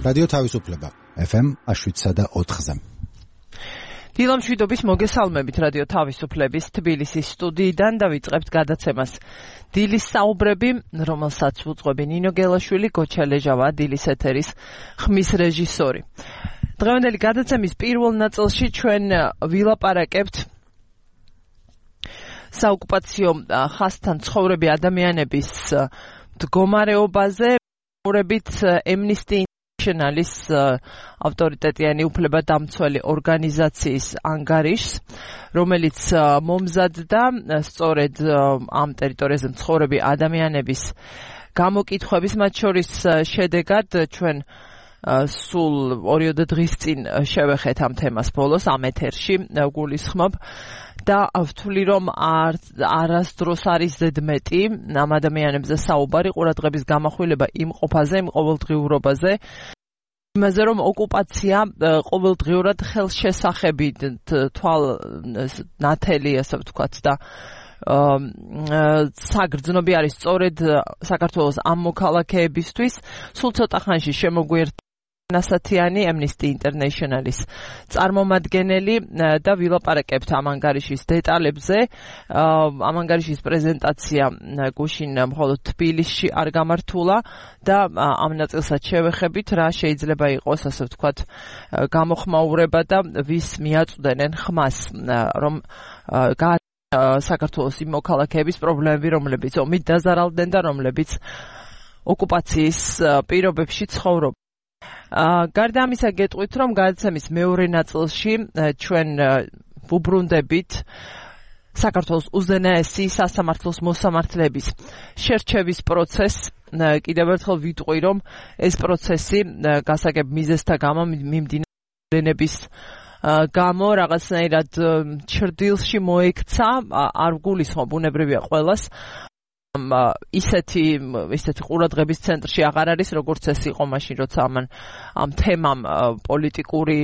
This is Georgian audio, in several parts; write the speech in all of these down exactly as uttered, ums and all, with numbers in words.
რადიო თავისუფლება ეფ ემ შვიდსა და ოთხზე. დილამშვიდობის მოგესალმებით რადიო თავისუფლების თბილისის სტუდიიდან და ვიწყებთ გადაცემას დილის საუბრები, რომელსაც უძღვები ნინო გელაშვილი, გოჩა ლეჟავა, დილის ეთერის ხმის რეჟისორი. დღევანდელი გადაცემის პირველ ნაწილში ჩვენ ვილაპარაკებთ საოკუპაციო ხაზთან ცხოვრები ადამიანების მდგომარეობაზე, მორებით Amnesty Internationalis ავტორიტეტიანი უფლებადამცველი ორგანიზაციის ანგარიშს, რომელიც მომზადდა სწორედ ამ ტერიტორიაზე მცხოვრები ადამიანების გამოკითხვების, მათ შორის შედეგად ჩვენ სულ ორიოდე დღის წინ შევეხეთ ამ თემას ბოლოს ამ ეთერში გულისხმობ და ვთვლი რომ არასდროს არის ზედმეტი ამ ადამიანებზე საუბარი, ყურადღების გამახვილება იმ ყოფაზე, იმ ყოველდღიურობაზე, იმაზე რომ ოკუპაცია ყოველდღიურად ხელშესახებით თვალნათელი, ასე ვთქვათ, და საგრძნობი არის სწორედ საქართველოს ამ მოქალაქეებისთვის. სულ ცოტა ხანში შემოგვიერთდა ნასათიანი Amnesty Internationalis წარმომადგენელი და ვილაპარაკებთ ამ ანგარიშის დეტალებზე. ამ ანგარიშის პრეზენტაცია გუშინ მხოლოდ თბილისში არ გამართულა და ამ ნაწილსაც შევეხებით, რა შეიძლება იყოს, ასე ვთქვათ, გამოხმაურება და ვის მიაწვდენენ ხმას, რომ საქართველოს იმ მოქალაქეების პრობლემები, რომლებიც ომით დაზარალდნენ და რომლებიც ოკუპაციის პირობებში ცხოვრობენ. გარდა ამისა გეტყვით, რომ გადაცემის მეორე ნაწილში ჩვენ ვუბრუნდებით საქართველოს უზენაესი სასამართლოს მოსამართლეების შერჩევის პროცესს. კიდევ ერთხელ ვიტყვი, რომ ეს პროცესი გასაგებ მიზეზთა გამო მიმდინარეობის გამო რაღაცნაირად ჩრდილში მოექცა, არ გულისხმობ, ბუნებრივია ყველას. ისეთი ისეთი ყურადღების ცენტრში აღარ არის, როგორც ეს იყო მაშინ, როცა ამ ამ თემამ პოლიტიკური,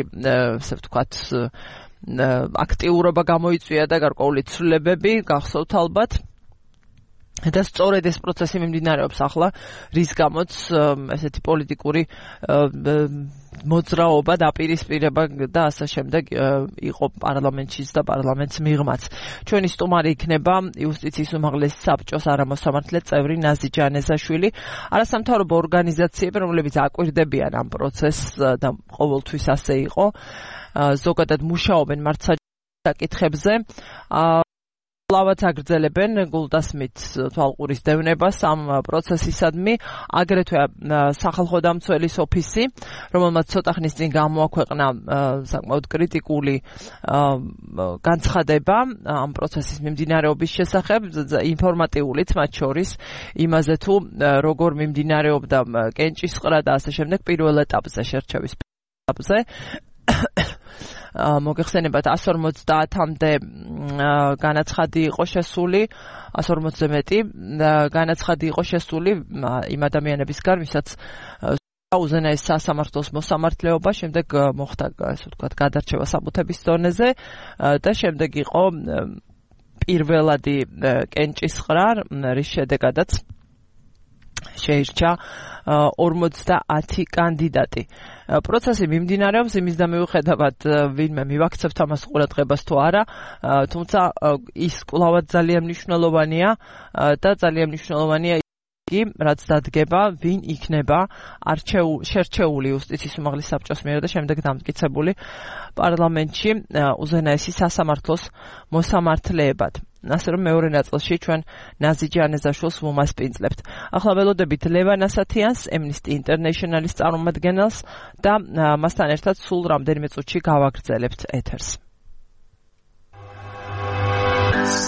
ასე ვთქვათ, აქტიურობა გამოიწვია და გარკვეული ცვლილებები გახსოვთ ალბათ. და სწორედ ეს პროცესი მიმდინარეობს ახლა, რის გამოც ესეთი პოლიტიკური მოძრაობა, დაპირისპირება და ასე შემდეგ იყო პარლამენტშიც და პარლამენტს მიღმაც. ჩვენი სტუმარი იქნება იუსტიციის უმაღლესი საბჭოს არამოსამართლე წევრი ნაზი ჯანეზაშვილი, არასამთავრობო ორგანიზაციები, რომლებიც აკვირდებიან ამ პროცესს და ყოველთვის ასე იყო, ზოგადად მუშაობენ მართლმსაკითხებზე. ლავაც აგრძელებენ გულდასმით თვალყურის დევნებას ამ პროცესისადმი, აგრეთვე სახალხო დამცველის ოფისი, რომელმაც ცოტა ხნის წინ გამოაქვეყნა საკმაოდ კრიტიკული განცხადება ამ პროცესის მიმდინარეობის შესახებ, ინფორმატიულიც მათ შორის, იმაზე თუ როგორ მიმდინარეობდა კენჭისყრა და ასე შემდეგ პირველ ეტაპზე, შერჩევის ეტაპზე. მოგეხსენებათ, εκατს ორმოცდაათამდე განაცხადი იყო შესული, εκατს ორმოცზე მეტი განაცხადი იყო შესული იმ ადამიანებისგან, ვისაც უზენაეს სასამართლოს მოსამართლეობა, შემდეგ მოხდა, ასე ვთქვათ, გადარჩევა საბუთების დონეზე და შემდეგ იყო პირველადი კენჭისყრა, რის შედეგადაც შეირჩა ორმოცდაათი კანდიდატი. პროცესი მიმდინარეობს, იმის და მიუხედავად ვინმე მივაქცევთ ამას ყურადღებას თუ არა, თუმცა ის კვლავად ძალიან მნიშვნელოვანია და ძალიან მნიშვნელოვანია რაც დადგება, ვინ იქნება შერჩეული იუსტიციის უმაღლეს საბჭოს მიერ და შემდეგ დამტკიცებული პარლამენტში უზენაესი სასამართლოს მოსამართლეებად. ასე რომ მეორე ნაწილში ჩვენ ნაზი ჯანეზაშვილს ვუმასპინძლებთ. ახლა ველოდებით ლევან ასათიანს, Amnesty Internationalis წარმომადგენელს და მასთან ერთად სულ რამდენიმე წუთში გავაგრძელებთ ეთერს.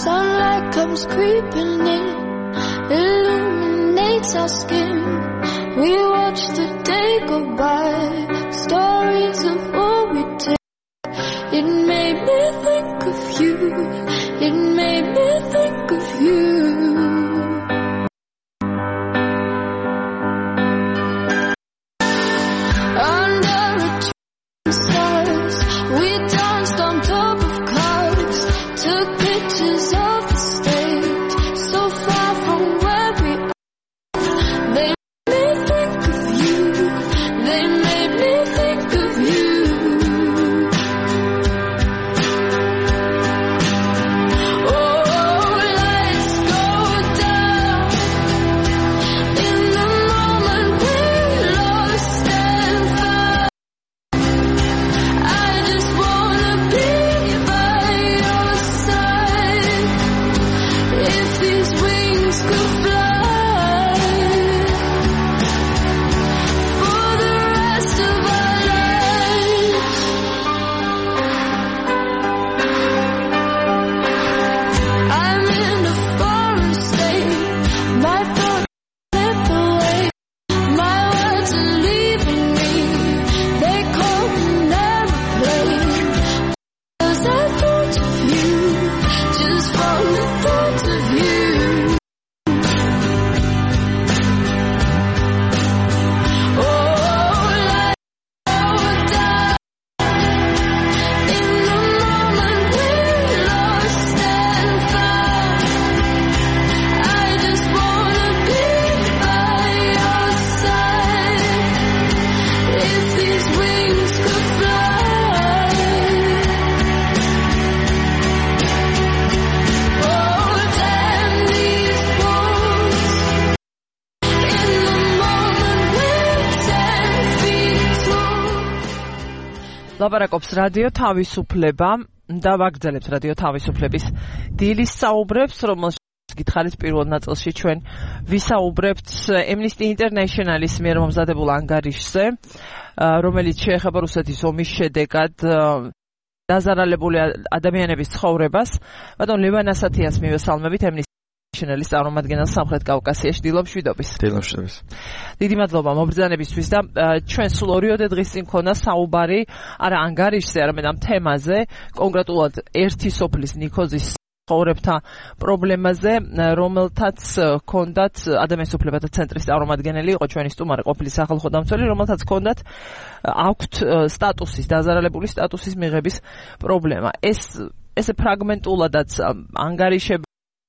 Sunlight comes creeping in, illuminates our skin. We watch the day go by, stories of what we did. It made me think of you. It made me think of you. Under a tree of stars, we danced on top of cars, took pictures of the stage, so far from where we are. They made me think of you. They made ლაპარაკობს რადიო თავისუფლება და ვაგრძელებს რადიო თავისუფლების დილის საუბრებს, რომელშიც გითხარით პირველ ნაწილში ჩვენ ვისაუბრებთ Amnesty International-ის მიერ მომზადებულ ანგარიშზე, რომელიც შეეხება რუსეთის ომის შედეგად დაზარალებული ადამიანების ცხოვრებას. ბატონ ლევან ასათიანს მივესალმებით, Amnesty International-ის წარმომადგენელს სამხრეთ კავკასიაში. დილობშვიდობის. დილობშვიდობის. დიდი მადლობა მობრძანებისთვის და ჩვენ სულ ორიოდე დღის წინ ქონა საუბარი არა ანგარიშზე, არამედ ამ თემაზე, კონკრეტულად ერთი სოფლის ნიქოზის ცხოვრებთა პრობლემაზე, რომელთაც ჰქონდათ ადამიანის უფლებათა ცენტრის წარმომადგენელი იყო ჩვენი სტუმარი ყოფილი სახალხო დამცველი, რომელთაც ჰქონდათ აქვთ სტატუსის, დაზარალებული სტატუსის მიღების პრობლემა. ეს ესე ფრაგმენტულადაც ანგარიშები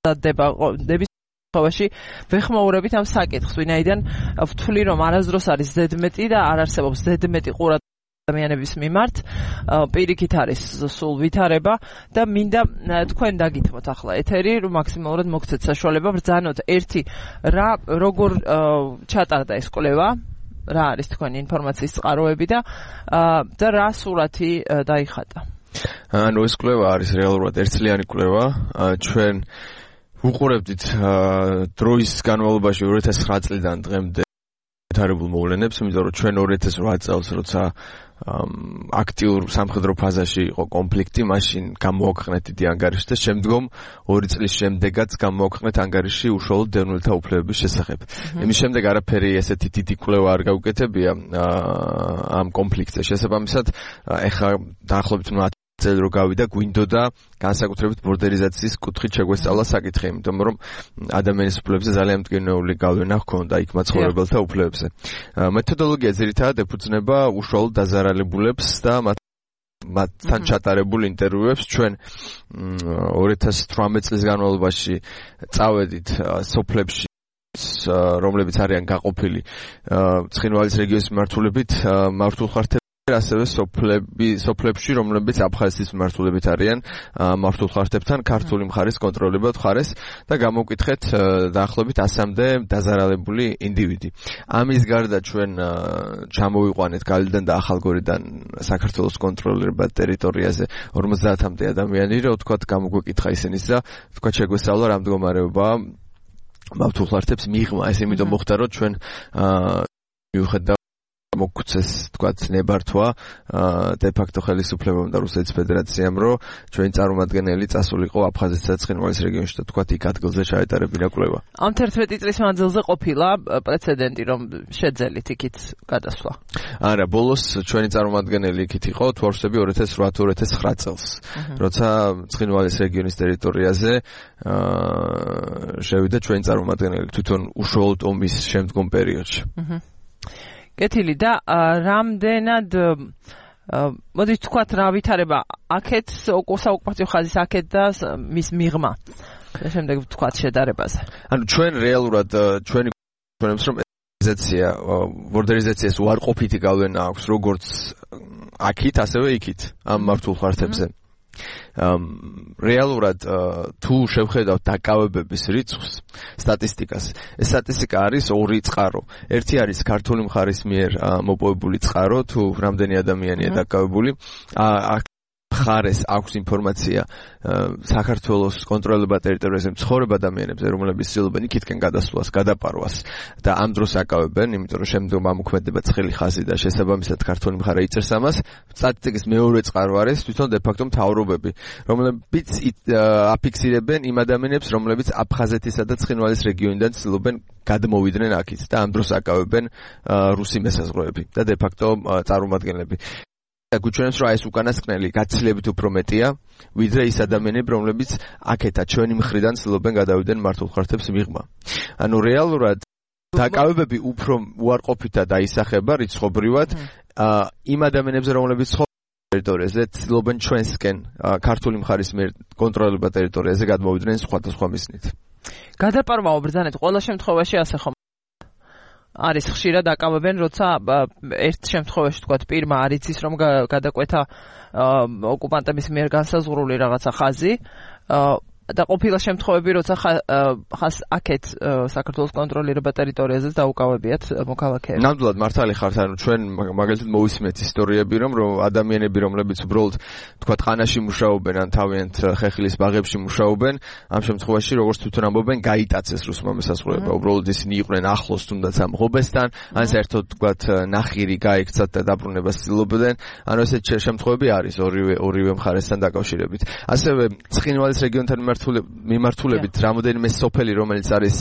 დების ხოვაში ვეხმაურებით ამ საკითხს, ვინაიდან ვთვლი რომ არასდროს არის ზედმეტი და არ არსებობს ზედმეტი ყურადღება ადამიანების მიმართ, პირიქით არის სულ ვითარება და მინდა თქვენ დაგითმოთ ახლა ეთერი, რომ მაქსიმალურად მოგცეთ საშუალება ბრძანოთ ერთი რა როგორ ჩატარდა ეს კვლევა, რა არის თქვენი ინფორმაციის წყაროები და და რა სურათი დაიხატა. ანუ ეს კვლევა არის რეალურად ერთწლიანი კვლევა, ჩვენ ვუყურებდით დროის განმავლობაში ორი ათას ცხრა წლიდან დღემდე ვითარებულ მოვლენებს, იმიტომ რომ ჩვენ ორი ათას ოთხ წელს როცა აქტიურ სამხედრო ფაზაში იყო კონფლიქტი, მაშინ გამოაქვეყნეთ დიდი ანგარიში და შემდგომ ორი წლის შემდეგაც გამოაქვეყნეთ ანგარიში უშუალოდ დევნილთა უფლებების შესახებ. იმის შემდეგ არაფერი ესეთი დიდი კვლევა არ გაუკეთებია ამ კონფლიქტზე. შესაბამისად, ეხლა დაახლოებით წელი რო გავიდა, გვინდოდა განსაკუთრებით ბორდერიზაციის კუთხით შეგვესწავლა საკითხი, იმიტომ რომ ადამიანის უფლებებზე ძალიან მტკივნეული გავლენა ჰქონდა იქ მაცხოვრებელთა უფლებებზე. მეთოდოლოგია ძირითადად ეფუძნება უშუალოდ დაზარალებულებს და მათთან ჩატარებულ ინტერვიუებს. ჩვენ ორი ათას თვრამეტ წლის განმავლობაში წავედით სოფლებში, რომლებიც არიან გაყოფილი ცხინვალის რეგიონის მიმართულებით, მართულხართ ასევე სოფლები, სოფლებში, რომლებიც აფხაზეთის მიმართულებით არიან მართულხარჯებთან ქართული მხარის კონტროლებად ხარეს და გამოვკითხეთ დაახლოებით ასამდე დაზარალებული ინდივიდი. ამის გარდა ჩვენ ჩამოვიყვანეთ გალიდან და ახალგორიდან საქართველოს კონტროლებად ტერიტორიაზე ორმოცდაათამდე ადამიანი, რა ვთქვათ, გამოგვეკითხა ისინიც და ვთქვათ შეგვესწავლა რა მდგომარეობაა მართულხარჯებს მიღმა. ეს იმიტომ მოხდა, რომ ჩვენ მიუხედავად მოგცეს თქვათ ნებართვა დე ფაქტო ხელისუფლებამ და რუსეთის ფედერაციამ, რომ ჩვენი წარმომადგენელი წასულიყო აფხაზეთსა და ცხინვალის რეგიონში და თქვათ იქ ადგილზე ჩაეტარებინა კვლევა. ამ თერთმეტი წლის მანძილზე ყოფილა პრეცედენტი, რომ შეძელით იქით გადასვლა. არა, ბოლოს ჩვენი წარმომადგენელი იქით იყო თვარსები ორი ათას ოთხ ორი ათას ცხრა წელს, როცა ცხინვალის რეგიონის ტერიტორიაზე შევიდა ჩვენი წარმომადგენელი თვითონ უშუალოდ ომის შემდგომ პერიოდში. კეთილი და რამდენად მოდით თქვათ რა ვითარება აქეთ საოკუპაციო ხაზის აქეთ და მის მიღმა და შემდეგ თქვათ შედარებაზე. ანუ ჩვენ რეალურად ჩვენი ჩვენებს რომ ბორდერიზაცია ბორდერიზაციას უარყოფითი გავლენა აქვს როგორც აქით, ასევე იქით ამ მართულხარჯებზე. რეალურად თუ შევხედავთ დაკავებების რიცხვს, სტატისტიკას, ეს სტატისტიკა არის ორი წყარო. ერთი არის ქართული მხარის მიერ მოპოვებული წყარო, თუ რამდენი ადამიანია დაკავებული. მხარეს აქვს ინფორმაცია საქართველოს კონტროლებად ტერიტორიაზე მცხოვრებ ადამიანებზე, რომლებიც ცდილობენ იქითკენ გადასვლას, გადაპარვას და ამ დროს აკავებენ, იმიტომ რომ შემდგომ ამოქმედება ცხელი ხაზი და შესაბამისად ქართული მხარე იწერს ამას. სტატისტიკის მეორე წყარო არის თვითონ დე ფაქტო მთავრობები, რომლებიც აფიქსირებენ იმ ადამიანებს, რომლებიც აფხაზეთისა და ცხინვალის რეგიონიდან ცდილობენ გადმოვიდნენ აქეთ და ამ დროს აკავებენ რუსი მესაზღვრეები და დე ფაქტო წარმომადგენლები. გუჩვენებს რომ ეს უკანასკნელი გაცილებით უფრო მეტია, ვიდრე ის ადამიანები, რომლებიც აქეთა ჩვენი მხრიდან ცდილობენ გადავიდნენ მართულხარჯებს მიღმა. ანუ რეალურად დაკავებები უფრო უარყოფითად დაისახება რიცხობრივად იმ ადამიანებზე, რომლებიც ტერიტორიაზე ცდილობენ ჩვენსკენ ქართული მხარის მიერ კონტროლებად ტერიტორიაზე გადმოვიდნენ სხვადასხვა მიზნით. გადაპარვაო ბრძანეთ ყველა შემთხვევაში ასე ხომ არის ხშირად დაკავებენ, როცა ერთ შემთხვევაში თქვათ პირმა არ იცის რომ გადაკვეთა ოკუპანტების მიერ განსაზღვრული რაღაცა ხაზი, და ყოფილა შემთხვევები, როცა ხას აქეთ საქართველოს კონტროლირება ტერიტორიაზეც დაუკავებიათ მოქალაქეებს. ნამდვილად მართალი ხართ, ანუ ჩვენ მაგალითად მოვისმენთ ისტორიები, რომ ადამიანები, რომლებიც უბრალოდ თქვა ყანაში მუშაობენ, ან თავიანთ ხეხილის ბაღებში მუშაობენ, ამ შემთხვევაში როგორც თვითონ ამბობენ, გაიტაცეს რუსმა მესაზღვრეობა. უბრალოდ ისინი იყვნენ ახლოს თუნდაც ამ ღობესთან, ან საერთოდ თქვა ნახირი გაიქცათ და დაბრუნებას ცდილობდნენ. ანუ ესეთ შემთხვევები არის ორივე ორივე მხარესთან დაკავშირებით. ასევე ცხინვალის რეგიონთან მიმართულებით რამოდენიმე სოფელი, რომელიც არის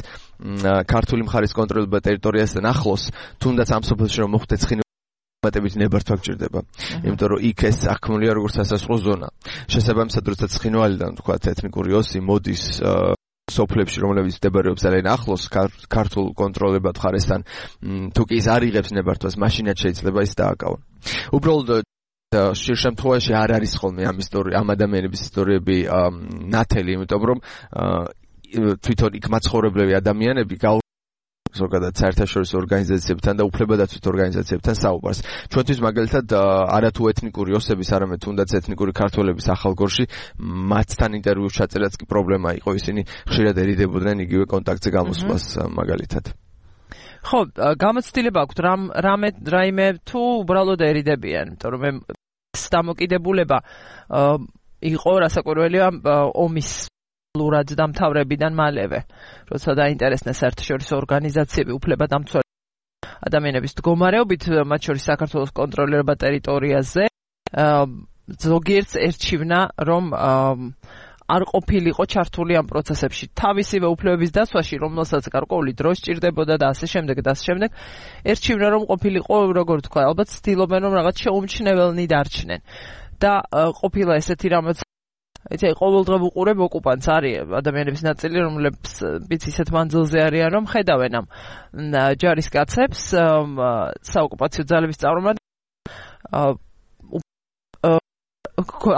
ქართული მხარის კონტროლირებულ ტერიტორიასთან ახლოს, თუნდაც ამ სოფელში რომ მოხდეს ცხინვალის ნებართვა გჭირდება. იმიტომ რომ იქ ეს აღქმულია როგორც სასაზღვრო ზონა. შესაბამისად, როცა ცხინვალიდან თქვა ეთნიკური ოსი მოდის სოფლებში, რომლებიც მდებარეობს ძალიან ახლოს ქართულ კონტროლირებულ მხარესთან, თუ კი ის არ იღებს ნებართვას, მაშინაც შეიძლება ის დააკავონ. უბრალოდ შენ შემთხვევაში არ არის ხოლმე ამ ისტორია, ამ ადამიანების ისტორიები ნათელი, იმიტომ რომ თვითონ იქ მაცხოვრებლები ადამიანები ზოგადად საერთაშორისო ორგანიზაციებთან და უფლებადაცვით ორგანიზაციებთან საუბარს. ჩვენთვის მაგალითად არათუ ეთნიკური ოსების, არამედ თუნდაც ეთნიკური ქართველების ახალგორში მათთან ინტერვიუს ჩაწერაც კი პრობლემა იყო, ისინი ხშირად ერიდებოდნენ იგივე კონტაქტზე გამოსვლას მაგალითად. ხო, გამოცდილება აქვს რამ რამე რაიმე თუ უბრალოდერიდებიან, იმიტომ რომ დამოკიდებულება იყო რასაკვირველია ომის ლურად დამთავრებიდან მალევე, როცა დაინტერესდნენ საერთაშორისო ორგანიზაციები უფლებადამცველი ადამიანების მდგომარეობით, მათ შორის საქართველოს კონტროლირება ტერიტორიაზე, ზოგიერთს ერჩივნა, რომ არ ყოფილიყო ჩართული ამ პროცესებში. თავისივე უფლებების დაცვაში, რომელსაც გარკვეული დრო სჭირდებოდა და ასე შემდეგ და ასე შემდეგ, ერჩივნა, რომ ყოფილიყო, როგორ თქვა, ალბათ ცდილობენ, რომ რაღაც შეუმჩნეველნი დარჩნენ. და ყოფილა ესეთი რამაც იცი, ყოველდღე ვუყურებ ოკუპანტს არის ადამიანების ნაწილი, რომლებიც ისეთ მანძილზე არიან, რომ ხედავენ ამ ჯარისკაცებს, საოკუპაციო ძალების წარმომადგენლებს,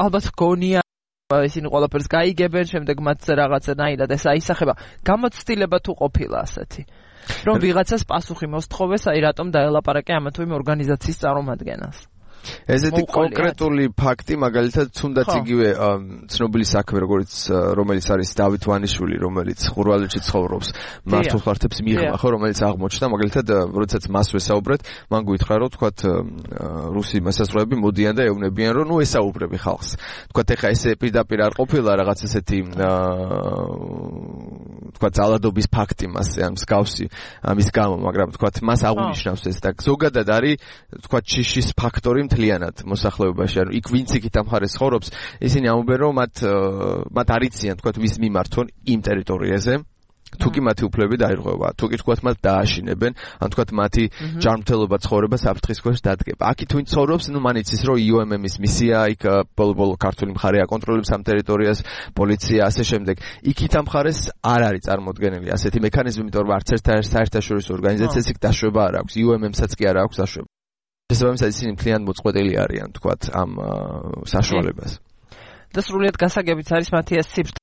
ალბათ გონია ისინი ყველაფერს გაიგებენ, შემდეგ მათ რაღაცნაირად ეს აისახება. გამოცდილება თუ ყოფილა ასეთი, რომ ვიღაცას პასუხი მოსთხოვეს, აი რატომ დაელაპარაკე ამა თუ იმ ორგანიზაციის წარმომადგენელს. ესეთი კონკრეტული ფაქტი, მაგალითად, თუნდაც იგივე ცნობილი საქმე, როგორც რომელიც არის დავით ვანიშვილი, რომელიც ხურვალეთში ცხოვრობს, მართულ ხართებს მიიღმა, ხო, რომელიც აღმოჩნდა, მაგალითად, როდესაც მას ვესაუბრეთ, მან გითხრა, რომ თქვათ რუსი მასაზღვრეები მოდიან და ეუბნებიან, რომ ნუ ესაუბრები ხალხს. თქვათ ეხა ესე პირდაპირ არ ყოფილა რაღაც ესეთი თქვათ ძალადობის ფაქტი მასზე, ამ მსგავსი ამის გამო, მაგრამ თქვათ მას აღუნიშნავს ეს და ზოგადად არის თქვათ შიშის ფაქტორი მთლიანად მოსახლეობაში, ანუ იქ ვინც იქით ამ ხარეს ცხოვრობს, ისინი ამბობენ, რომ მათ მათ არ იციან, თქვათ, ვის მიმართონ იმ ტერიტორიაზე, თუ კი მათი უფლებები დაირღვევა, თუ კი თქვათ მათ დააშინებენ, ან თქვათ მათი ჯანმრთელობა ცხოვრება საფრთხის ქვეშ დადგება. აქ თუ ცხოვრობს, ნუ მან იცის, რომ იუ ემ ემ-ის მისია, იქ ბოლო-ბოლო ქართული მხარე აკონტროლებს ამ ტერიტორიას, პოლიცია, ასე შემდეგ. იქით ამ ხარეს არ არის წარმოდგენილი ასეთი მექანიზმი, იმიტომ რომ არც ერთ საერთაშორისო ორგანიზაციას იქ დაშვება არ აქვს, იუ ემ ემ-საც კი არ აქვს დაშვება. შესაბამისად ისინი მთლიანად მოწყვეტილი არიან, თქვათ, ამ საშუალებას. და სრულიად გასაგებიც არის მათი ეს ციფრ.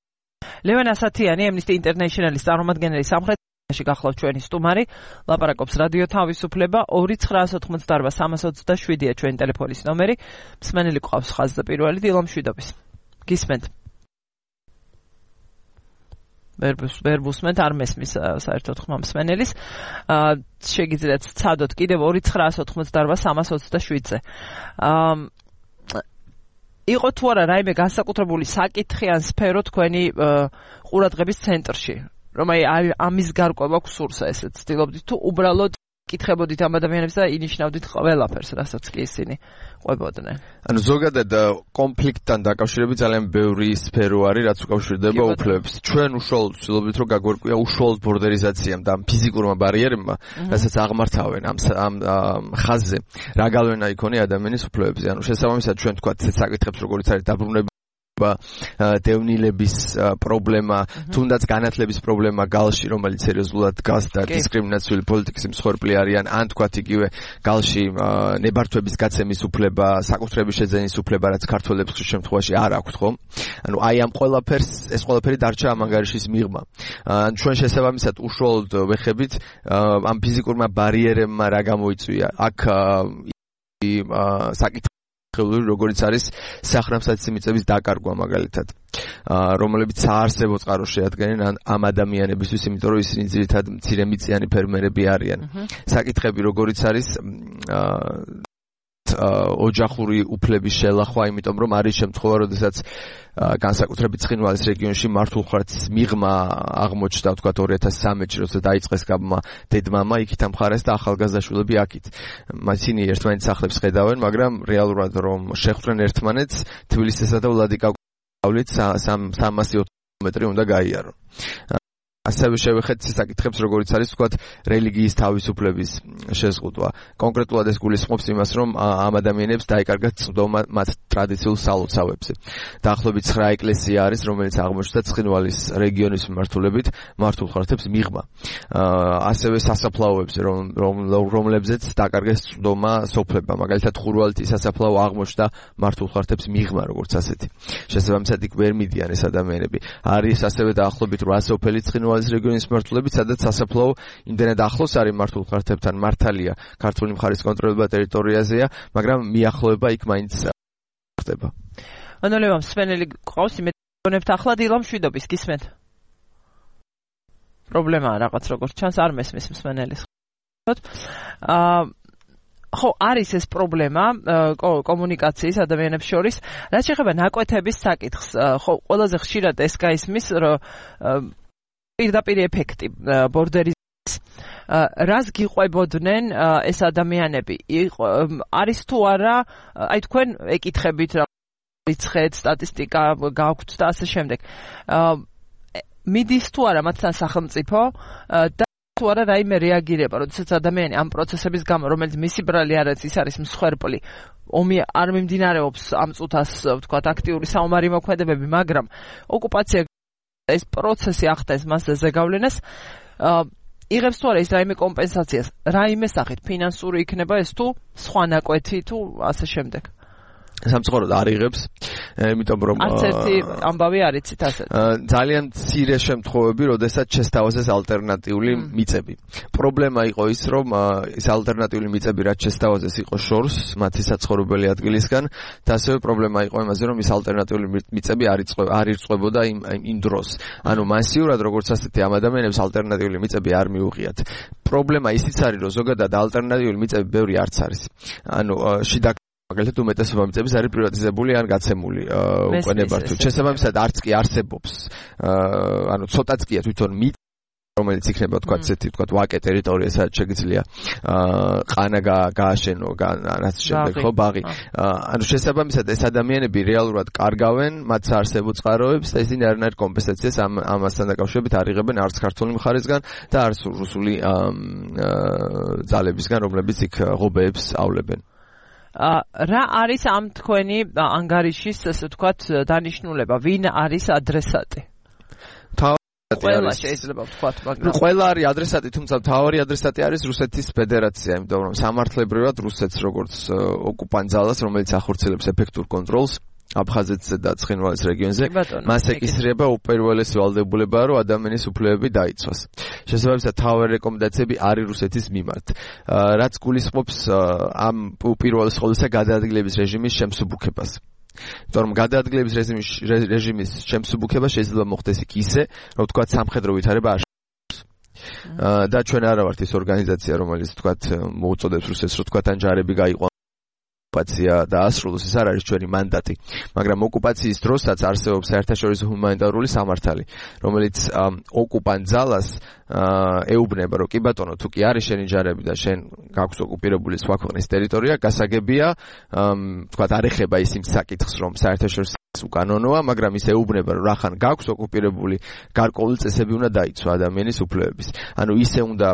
ლევან ასათიანი, Amnesty International-ის წარმომადგენელი სამხრეთში გახლავთ ჩვენი სტუმარი, ლაპარაკობს რადიო თავისუფლება, ორი ცხრაას ოთხმოცდაარბა სამას ოცდაშვიდია ჩვენი ტელეფონის ნომერი. მსმენელი გვყავს ხაზზე პირველი, დილო მშვიდობის. გისმენთ. ვერ ვუსმენთ, არ მესმის საერთოდ ხმა მსმენელის. შეგიძლიათ ცადოთ კიდევ ორი ცხრაას ოთხმოცდაარბა სამას ოცდაშვიდზე. იყო თუ არა რაიმე განსაკუთრებული საკითხი ან სფერო თქვენი ყურადღების ცენტრში, რომ აი ამის გარკვევა გსურსა, ესეც ცდილობდით თუ უბრალოდ კითხებოდით ამ ადამიანებს და ინიშნავდით ყველაფერს, რასაც კი ისინი ყვებოდნენ. ანუ ზოგადად კონფლიქტთან დაკავშირებით ძალიან ბევრი სფერო არის, რაც უკავშირდება უფლებებს. ჩვენ უშუალოდ ვცდილობთ, რომ გაგვერკვია უშუალოდ ბორდერიზაციამ და ფიზიკურმა ბარიერებმა, რასაც აღმართავენ ამ ამ ხაზზე, რა გავლენა იქონია ადამიანის უფლებებზე. ანუ შესაბამისად ჩვენ თქვათ საკითხებს, როგორც არის დაბრუნება, დევნილების პრობლემა, თუნდაც განათლების პრობლემა გალში, რომელიც სერიოზულად დგას და დისკრიმინაციული პოლიტიკის მსხვერპლი არიან, ან თქვათ იგივე გალში ნებართვების გაცემის უფლება, საკუთრების შეძენის უფლება, რაც ქართველებს ხშირ შემთხვევაში არ აქვთ, ხო? ანუ აი ამ ყველაფერს, ეს ყველაფერი დარჩა ამ ანგარიშის მიღმა. ან ჩვენ შესაბამისად უშუალოდ ვეხებით ამ ფიზიკურმა ბარიერებმა რა გამოიწვია. აქ საკითხი როგორიც არის სახნავსათის მიწების დაკარგვა მაგალითად, რომლებიც საარსებო წყაროს შეადგენენ ამ ადამიანებისთვის, იმიტომ რომ ისინი ძირითადად მცირემიწიანი ფერმერები არიან. საკითხები როგორიც არის ოჯახური უფლების შელახვა, იმიტომ რომ არის შემთხვევა, როდესაც განსაკუთრებით ცხინვალის რეგიონში მართულხარეთის მიღმა აღმოჩნდა, ვთქვათ ორი ათას სამი-ში, როცა დაიწყეს გაბმა დედმამა, იქით ამხარეს და ახალგაზრდაშვილები აქით. ისინი ერთმანეთს სახლებს ხედავენ, მაგრამ რეალურად რომ შეხვდნენ ერთმანეთს, თბილისისა და ვლადიკავკაზით სამასი ოცი კილომეტრი უნდა გაიარონ. ასევე შევეხეთ საკითხებს, როგორიც არის ვთქვათ რელიგიის თავისუფლების შეზღუდვა. კონკრეტულად ეს გულისხმობს იმას, რომ ამ ადამიანებს დაეკარგათ წვდომა მათ ტრადიციულ სალოცავებზე. დაახლოებით ცხრა ეკლესია არის, რომელიც აღმოჩნდა ცხინვალის რეგიონის მიმართულებით მართულხარეთებს მიღმა. ასევე სასაფლაოებზე, რომლებზეც დაკარგეს წვდომა სოფლებმა. მაგალითად ხურვალეთის სასაფლაო აღმოჩნდა მართულხარეთებს მიღმა, როგორც ასეთი. შესაბამისად იქ ვერ მიდიან ეს ადამიანები. არის ასევე დაახლოებით რვა სოფელი ცხინვალის რეგიონის მიმართულებით, სადაც სასაფლაო იმდენად ახლოს არის მართულხარეთებთან, მართალია ქართული მხარის კონტროლება ტერიტორიაზეა, მაგრამ მიახლოება იქ მაინც ხდება. ანუ ლევან სვენელი ყავს იმედონებთ ახლა დილა მშვიდობის გისმენთ? პრობლემაა რაღაც როგორც ჩანს არ მესმის მსმენელის. აა ხო, არის ეს პრობლემა კომუნიკაციის ადამიანებს შორის, რაც შეეხება ნაკვეთების საკითხს. ხო, ყველაზე ხშირად ეს გაისმის, რომ პირდაპირ ეფექტი ბორდერის რას გიყვებოდნენ ეს ადამიანები? არის თუ არა, აი თქვენ ეკითხებით რა რიცხვი, სტატისტიკა გაქვთ და ასე შემდეგ. მიდის თუ არა მათთან სახელმწიფო და თუ არა რაიმე რეაგირება, როდესაც ადამიანი ამ პროცესების გამო, რომელიც მისი ბრალი არ არის, ის არის მსხვერპლი, ომი არ მიმდინარეობს ამ წუთას, ვთქვათ, აქტიური საომარი მოქმედებები, მაგრამ ოკუპაცია ეს პროცესი ახდენს მასზე ზეგავლენას, იღებს თუ არა ის რაიმე კომპენსაციას, რაიმე სახით, ფინანსური იქნება ეს თუ სხვა ნაკვეთი თუ ასე შემდეგ. სამწუხაროდ არ იღებს, იმიტომ რომ არც ერთი ამბავი არ იცით ასეთ. ძალიან მცირე შემთხვევები, როდესაც შესთავაზეს ალტერნატიული მიწები. პრობლემა იყო ის, რომ ეს ალტერნატიული მიწები რაც შესთავაზეს იყო შორს მათი საცხოვრებელი ადგილისგან და ასევე პრობლემა იყო იმაზე, რომ ეს ალტერნატიული მიწები არ არ ირწყვებოდა იმ იმ დროს. ანუ მასიურად როგორც ასეთი ამ ადამიანებს ალტერნატიული მიწები არ მიუღიათ. პრობლემა ისიც არის, რომ ზოგადად ალტერნატიული მიწები ბევრი არც არის. ანუ შიდა მაგალითად უმეტესობა მიწების არის პრივატიზებული ან გაცემული უკვე ნებართვით. შესაბამისად არც კი არსებობს, ანუ ცოტაც კია თვითონ მიწა, რომელიც იქნება თქვა ესეთი თქვა ვაკე ტერიტორია, სადაც შეგიძლია ყანა გააშენო, რაც შემდეგ ხო ბაღი. ანუ შესაბამისად ეს ადამიანები რეალურად კარგავენ მათ საარსებო წყაროებს და ისინი არანაირ კომპენსაციას ამ ამასთან დაკავშირებით არ იღებენ არც ქართული მხარისგან და არც რუსული ძალებისგან, რომლებიც იქ ღობეებს ავლებენ. რა არის ამ თქვენი ანგარიშის, ასე ვთქვათ, დანიშნულება? ვინ არის ადრესატი? ყველა შეიძლება ვთქვათ, მაგრამ ყველა არის ადრესატი, თუმცა მთავარი ადრესატი არის რუსეთის ფედერაცია, იმიტომ რომ სამართლებრივად რუსეთს როგორც ოკუპანტ ძალას, რომელიც ახორციელებს ეფექტურ კონტროლს აფხაზეთსა და ცხინვალის რეგიონზე, მას ეკისრება უპირველესი ვალდებულება, რომ ადამიანის უფლებები დაიცვას. შესაბამისად, თავარი რეკომენდაციები არის რუსეთის მიმართ. რაც გულისხმობს ამ უპირველეს ყოვლისა გადაადგილების რეჟიმის შემსუბუქებას. იმიტომ რომ გადაადგილების რეჟიმის რეჟიმის შემსუბუქება შეიძლება მოხდეს იქ ისე, რომ თქვა სამხედრო ვითარება არ და ჩვენ არა ვართ ის ორგანიზაცია, რომელიც თქვა მოუწოდებს რუსეთს, რომ თქვა თან ჯარები გაიყვანოს ოკუპაცია დაასრულოს, ეს არ არის ჩვენი მანდატი. მაგრამ ოკუპაციის დროსაც არსებობს საერთაშორისო ჰუმანიტარული სამართალი, რომელიც ოკუპანტ ძალას ეუბნება, რომ კი ბატონო, თუ კი არის შენი ჯარები და შენ გაქვს ოკუპირებული სხვა ქვეყნის ტერიტორია, გასაგებია, თქვა არ ეხება ის იმ საკითხს, რომ საერთაშორისო უკანონოა, მაგრამ ის ეუბნება, რომ რახან გაქვს ოკუპირებული, გარკვეული წესები უნდა დაიცვა ადამიანის უფლებების. ანუ ისე უნდა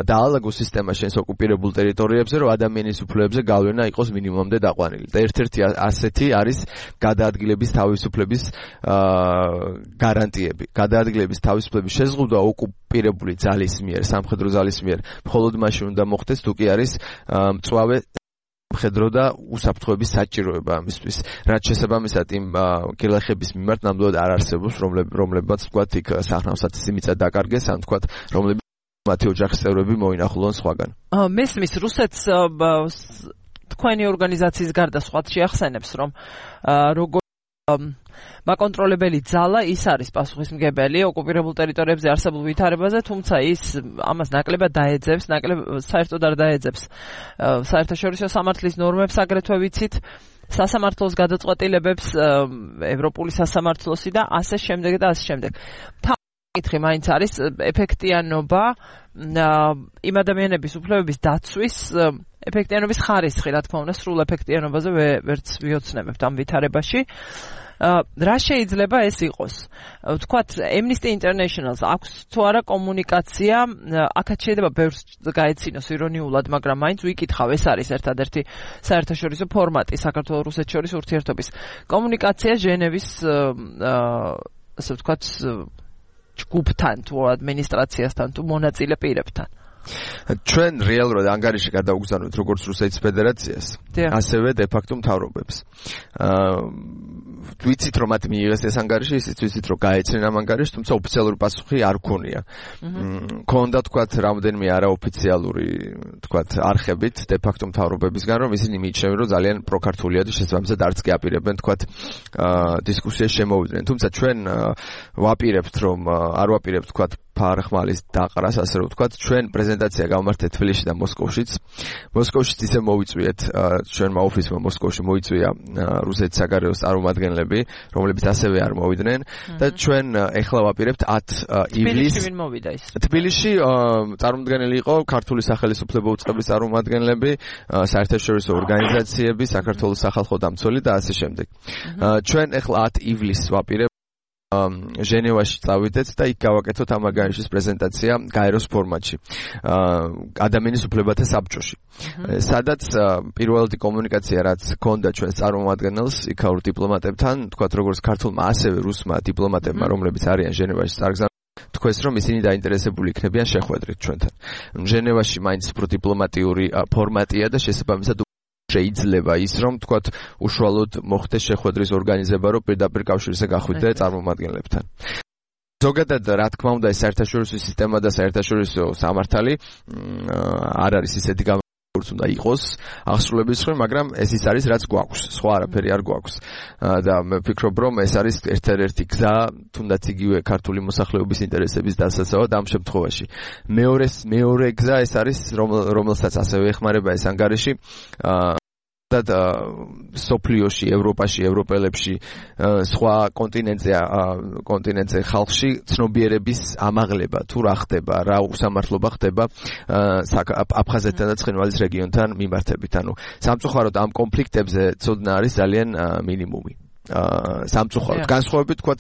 დაალაგოს სისტემა შენს ოკუპირებულ ტერიტორიებზე, რომ ადამიანის უფლებებზე გავლენა იყოს მინიმუმამდე დაყვანილი. და ერთ-ერთი ასეთი არის გადაადგილების თავისუფლების გარანტიები. გადაადგილების თავისუფლების შეზღუდვა ოკუპირებული ძალის მიერ, სამხედრო ძალის მიერ, მხოლოდ მაშინ უნდა მოხდეს, თუ კი არის მწვავე მხედრო და უსაფრთხოების საჭიროება ამისთვის. რაც შესაბამისად იმ კილახების მიმართ ნამდვილად არ არსებობს, რომლებმაც თქვათ იქ სახნავსათის მიწა დაკარგეს, ან თქვათ რომლებიც მათი ოჯახის წევრები მოინახულონ სხვაგან. მესმის რუსეთს თქვენი ორგანიზაციის გარდა სხვაც შეახსენებს, რომ როგორ მაკონტროლებელი ძალა ის არის პასუხისმგებელი ოკუპირებულ ტერიტორიებზე არსებულ ვითარებაზე, თუმცა ის ამას ნაკლებად დაეძებს, ნაკლებ საერთოდ არ დაეძებს საერთაშორისო სამართლის ნორმებს, აგრეთვე ვიცით, სასამართლოს გადაწყვეტილებებს, ევროპული სასამართლოსი და ასე შემდეგ და ასე შემდეგ. კითხი მაინც არის ეფექტიანობა იმ ადამიანების უფლებების დაცვის ეფექტიანობის ხარისხი, რა თქმა უნდა, სრულ ეფექტიანობაზე ვერც ვიოცნებებთ ამ ვითარებაში. რა შეიძლება ეს იყოს? ვთქვათ, Amnesty International-ს აქვს თუ არა კომუნიკაცია, აქაც შეიძლება ბევრს გაეცინოს ირონიულად, მაგრამ მაინც ვიკითხავ, ეს არის ერთადერთი საერთაშორისო ფორმატი საქართველოს რუსეთს შორის ურთიერთობის. კომუნიკაცია ჟენევის ასე ვთქვათ ჯგუფთან თუ ადმინისტრაციასთან თუ მონაწილე პირებთან. ჩვენ რეალურად ანგარიში გადავგზავნოთ როგორც რუსეთის ფედერაციას, ასევე de facto მთავრობებს. ვიცით რომ მათ მიიღეს ეს ანგარიში, ისიც ვიცით რომ გაეცნენ ამ ანგარიშს, თუმცა ოფიციალური პასუხი არ ქონია. ქონდა თქვათ რამდენიმე არაოფიციალური თქვათ არხებით de facto მთავრობებისგან, რომ ისინი მიიჩნევენ რომ ძალიან პროქართულია და შესაბამისად არც კი აპირებენ თქვათ დისკუსიას შემოვიდნენ. თუმცა ჩვენ ვაპირებთ რომ არ ვაპირებთ თქვათ ფარხმალის დაყრას, ასე რომ ვთქვათ, ჩვენ პრეზენტაცია გავმართეთ თბილისში და მოსკოვშიც. მოსკოვშიც ისე მოვიწვიეთ, ჩვენმა ოფისმა მოსკოვში მოიწვია რუსეთის საგარეოს წარმომადგენლები, რომლებიც ასევე არ მოვიდნენ და ჩვენ ეხლა ვაპირებთ ათ ივლისს. თბილისში ვინ მოვიდა ის? თბილისში წარმოდგენილი იყო ქართული სახელმწიფო უწყების წარმომადგენლები, საერთაშორისო ორგანიზაციები, საქართველოს სახალხო დამცველი და ასე შემდეგ. ჩვენ ეხლა ათ ივლისს ვაპირებთ ჟენევაში წავიდეთ და იქ გავაკეთოთ ამ ანგარიშის პრეზენტაცია გაეროს ფორმატში ადამიანის უფლებათა საბჭოში. სადაც პირველადი კომუნიკაცია რაც ჰქონდა ჩვენს წარმომადგენელს იქაურ დიპლომატებთან, თქვათ როგორც ქართულმა ასევე რუსმა დიპლომატებმა, რომლებიც არიან ჟენევაში წარგზავნილ, თქვეს რომ ისინი დაინტერესებული იქნებიან შეხვედრით ჩვენთან. ჟენევაში მაინც უფრო დიპლომატიური ფორმატია და შესაბამისად შეიძლება ის რომ თქვათ უშუალოდ მოხდეს შეხვედრის ორგანიზება, რომ პირდაპირ კავშირზე გახვიდე წარმომადგენლებთან. ზოგადად რა თქმა უნდა ეს საერთაშორისო სისტემა და საერთაშორისო სამართალი არ არის ისეთი როგორც უნდა იყოს აღსრულების ხრი, მაგრამ ეს ის არის რაც გვაქვს, სხვა არაფერი არ გვაქვს. და მე ვფიქრობ რომ ეს არის ერთ-ერთი გზა, თუნდაც იგივე ქართული მოსახლეობის ინტერესების დასაცავად ამ შემთხვევაში. მეორე მეორე გზა ეს არის რომელსაც ასევე ეხმარება ეს ანგარიში და სოფლიოში, ევროპაში, ევროპელებში, სხვა კონტინენტზე, კონტინენტზე ხალხში ცნობიერების ამაღლება, თუ რა ხდება, რა უსამართლობა ხდება აფხაზეთთან და ცხინვალის რეგიონთან მიმართებით. ანუ სამწუხაროდ ამ კონფლიქტებზე ცოდნა არის ძალიან მინიმუმი. სამწუხაროდ განსხვავებით თქვათ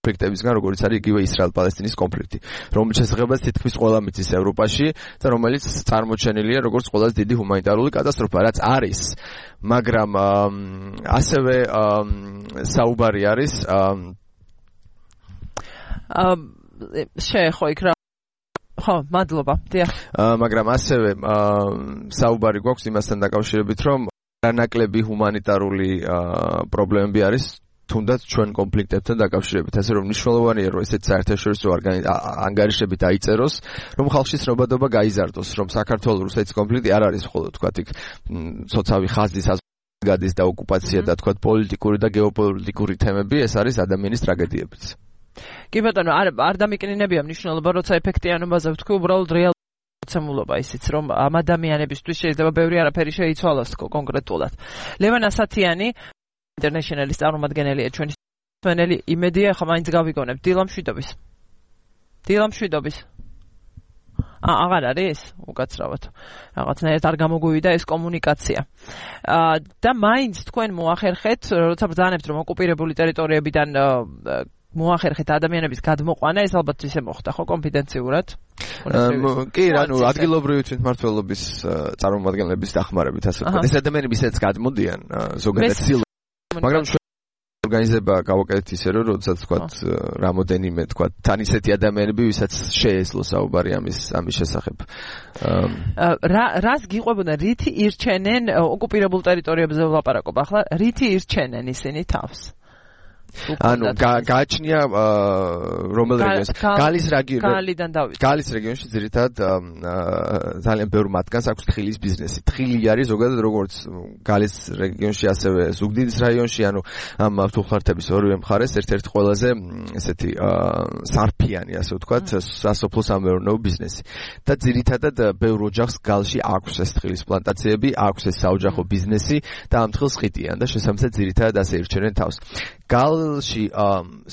კონფლიქტებისგან, როგორც არის იგივე ისრაელ-პალესტინის კონფლიქტი, რომელიც შესაძლებელია თითქმის ყველა მიწის ევროპაში და რომელიც წარმოჩენილია როგორც ყველაზე დიდი ჰუმანიტარული კატასტროფა, რაც არის, მაგრამ ასევე საუბარი არის შეეხო იქ რა ხო, მადლობა. დიახ. მაგრამ ასევე საუბარი გვაქვს იმასთან დაკავშირებით, რომ რანაკლები ჰუმანიტარული პრობლემები არის თუნდაც ჩვენ კონფლიქტებთან დაკავშირებით, ასე რომ მნიშვნელოვანია რომ ესეთ საერთაშორისო ანგარიშები დაიწეროს, რომ ხალხში ცნობადობა გაიზარდოს, რომ საქართველოს რუსეთის კონფლიქტი არ არის მხოლოდ თქვათ იქ სოციალური ხაზის გადის და ოკუპაცია და თქვათ პოლიტიკური და გეოპოლიტიკური თემები, ეს არის ადამიანის ტრაგედიებიც. კი ბატონო, არ არ დამიკნინებია მნიშვნელობა, როცა ეფექტიანობაზე ვთქვი, უბრალოდ რეალურობა ისიც, რომ ამ ადამიანებისთვის შეიძლება ბევრი არაფერი შეიცვალოს კონკრეტულად. ლევან ასათიანი ინტერნეშნალის წარმომადგენელია ჩვენი სვენელი იმედია, ხა მაინც გავიგონებ დილა მშვიდობის. დილა მშვიდობის. აა აღარ არის უკაცრავად. რაღაცნაირად არ გამოგვივიდა ეს კომუნიკაცია. აა და მაინც თქვენ მოახერხეთ, როცა ბრძანებთ რომ ოკუპირებული ტერიტორიებიდან მოახერხეთ ადამიანების გადმოყვანა, ეს ალბათ ისე მოხდა, ხო, კონფიდენციურად? კი, ანუ ადგილობრივი თვითმმართველობის წარმომადგენლების დახმარებით, ასე ვთქვათ. ეს ადამიანები ისეც გადმოდიან ზოგადად სილ მაგრამ ჩვენ ორგანიზება გავაკეთეთ ისე რომ როდესაც თქვათ რამოდენიმე თქვათ თან ისეთი ადამიანები ვისაც შეეძლო საუბარი ამის ამის შესახებ. რა რას გიყვებოდა რითი ირჩენენ ოკუპირებულ ტერიტორიებზე ვლაპარაკობ ახლა რითი ირჩენენ ისინი თავს? ანუ გააჩნია რომელ რეგიონს? გალის გალიდან დავიწყე. გალის რეგიონში ძირითადად ძალიან ბევრ მათგანს აქვს თხილის ბიზნესი. თხილი არის ზოგადად როგორც გალის რეგიონში, ასევე ზუგდიდის რაიონში, ანუ ამ ფუხლართების ორივე მხარეს ერთ-ერთი ყველაზე ესეთი სარფიანი, ასე ვთქვათ, სასოფლო სამეურნეო ბიზნესი. და ძირითადად ბევრ ოჯახს გალში აქვს ეს თხილის პლანტაციები, აქვს ეს საოჯახო ბიზნესი და ამ თხილს ხიტიან და შესაბამისად ძირითადად ასე ირჩენენ თავს. გალში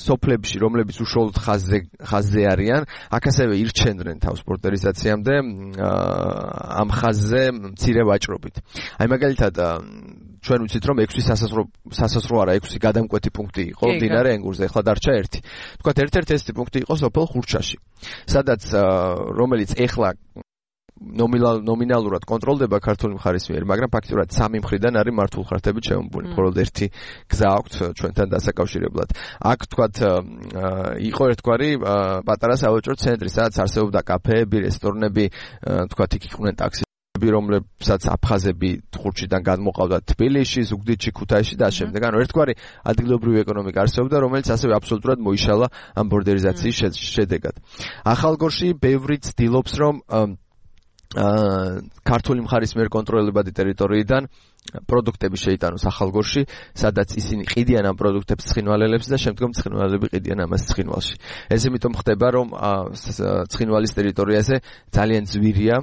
სოფლებში, რომლებიც უშუალოდ ხაზზე ხაზზე არიან, აქ ასევე ირჩენდნენ თავს პორტერიზაციამდე ამ ხაზზე მცირე ვაჭრობით. აი მაგალითად ჩვენ ვიცით რომ ექვსი სასაზღვრო სასაზღვრო არა ექვსი გადამკვეთი პუნქტი იყო მდინარე ენგურზე, ახლა დარჩა ერთი. თქვათ ერთ-ერთი ესეთი პუნქტი იყო სოფელ ხურჩაში, სადაც რომელიც ახლა ნომინალურად კონტროლდება ქართული მხარის მიერ, მაგრამ ფაქტობრივად სამი მხრიდან არის მართულ ხარჯებით შემოμπული. მხოლოდ ერთი გზა აქვს ჩვენთან დასაკავშირებლად. აქ თქვათ იყო ერთგვარი პატარა სავაჭრო ცენტრი, სადაც არსებობდა კაფეები, რესტორნები, თქვათ იქ იყვნენ ტაქსისტები, რომლებსაც აფხაზები ხურჩიდან გადმოყავდათ თბილისში, ზუგდიდში, ქუთაისში და შემდეგ. ანუ ერთგვარი ადგილობრივი ეკონომიკა არსებობდა, რომელიც ასევე აბსოლუტურად მოიშალა ამ ბორდერიზაციის შედეგად. ახალგორში ბევრი ცდილობს რომ ქართული მხარის მიერ კონტროლებადი ტერიტორიიდან პროდუქტები შეიტანოს ახალგორში, სადაც ისინი ყიდიან ამ პროდუქტებს ცხინვალელებს და შემდგომ ცხინვალელები ყიდიან ამას ცხინვალში. ეს იმიტომ ხდება, რომ ცხინვალის ტერიტორიაზე ძალიან ძვირია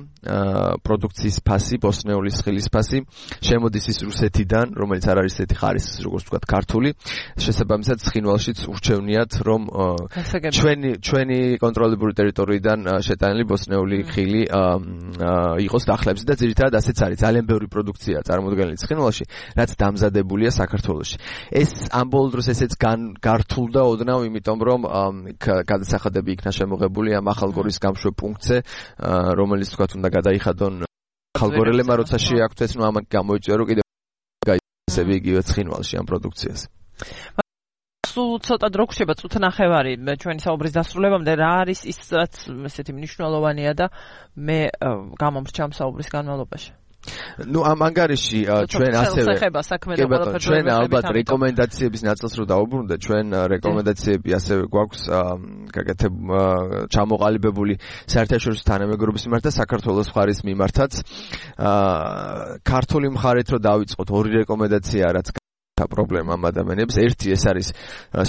პროდუქციის ფასი, ბოსნეული სხილის ფასი, შემოდის ის რუსეთიდან, რომელიც არ არის ესეთი ხარისხის, როგორც ვთქვათ, ქართული. შესაბამისად, ცხინვალშიც ურჩევნიათ, რომ ჩვენი ჩვენი კონტროლებული ტერიტორიიდან შეტანილი ბოსნეული ხილი იყოს დახლებში და ძირითადად ასეც არის. ძალიან ბევრი პროდუქცია წარმოდგენილი ცხინვალში, რაც დამზადებულია საქართველოში. ეს ამ ბოლო დროს ესეც გართულდა ოდნავ, იმიტომ რომ გადასახადები იქნა შემოღებული ამ ახალგორის გამშვე პუნქტზე, რომელიც თქვათ უნდა გადაიხადონ ახალგორელებმა, როცა შეაქცეს, ნუ ამან გამოიწვია, რომ კიდევ გაიცემი იგივე ცხინვალში ამ პროდუქციას. სულ ცოტა დრო გრჩება წუთნახევარი ჩვენი საუბრის დასრულებამდე, რა არის ის, რაც ესეთი მნიშვნელოვანია და მე გამომრჩა საუბრის განმავლობაში? ნუ ამ ანგარიში ჩვენ ასევე ჩვენ ალბათ რეკომენდაციების ნაწილს რო დავუბრუნდეთ, ჩვენ რეკომენდაციები ასევე გვაქვს გაკეთებ ჩამოყალიბებული საერთაშორისო თანამეგობრობის მიმართ და საქართველოს მხარის მიმართაც. ქართული მხარით რო დავიწყოთ, ორი რეკომენდაცია რაც პრობლემა ამ ადამიანებს. ერთი ეს არის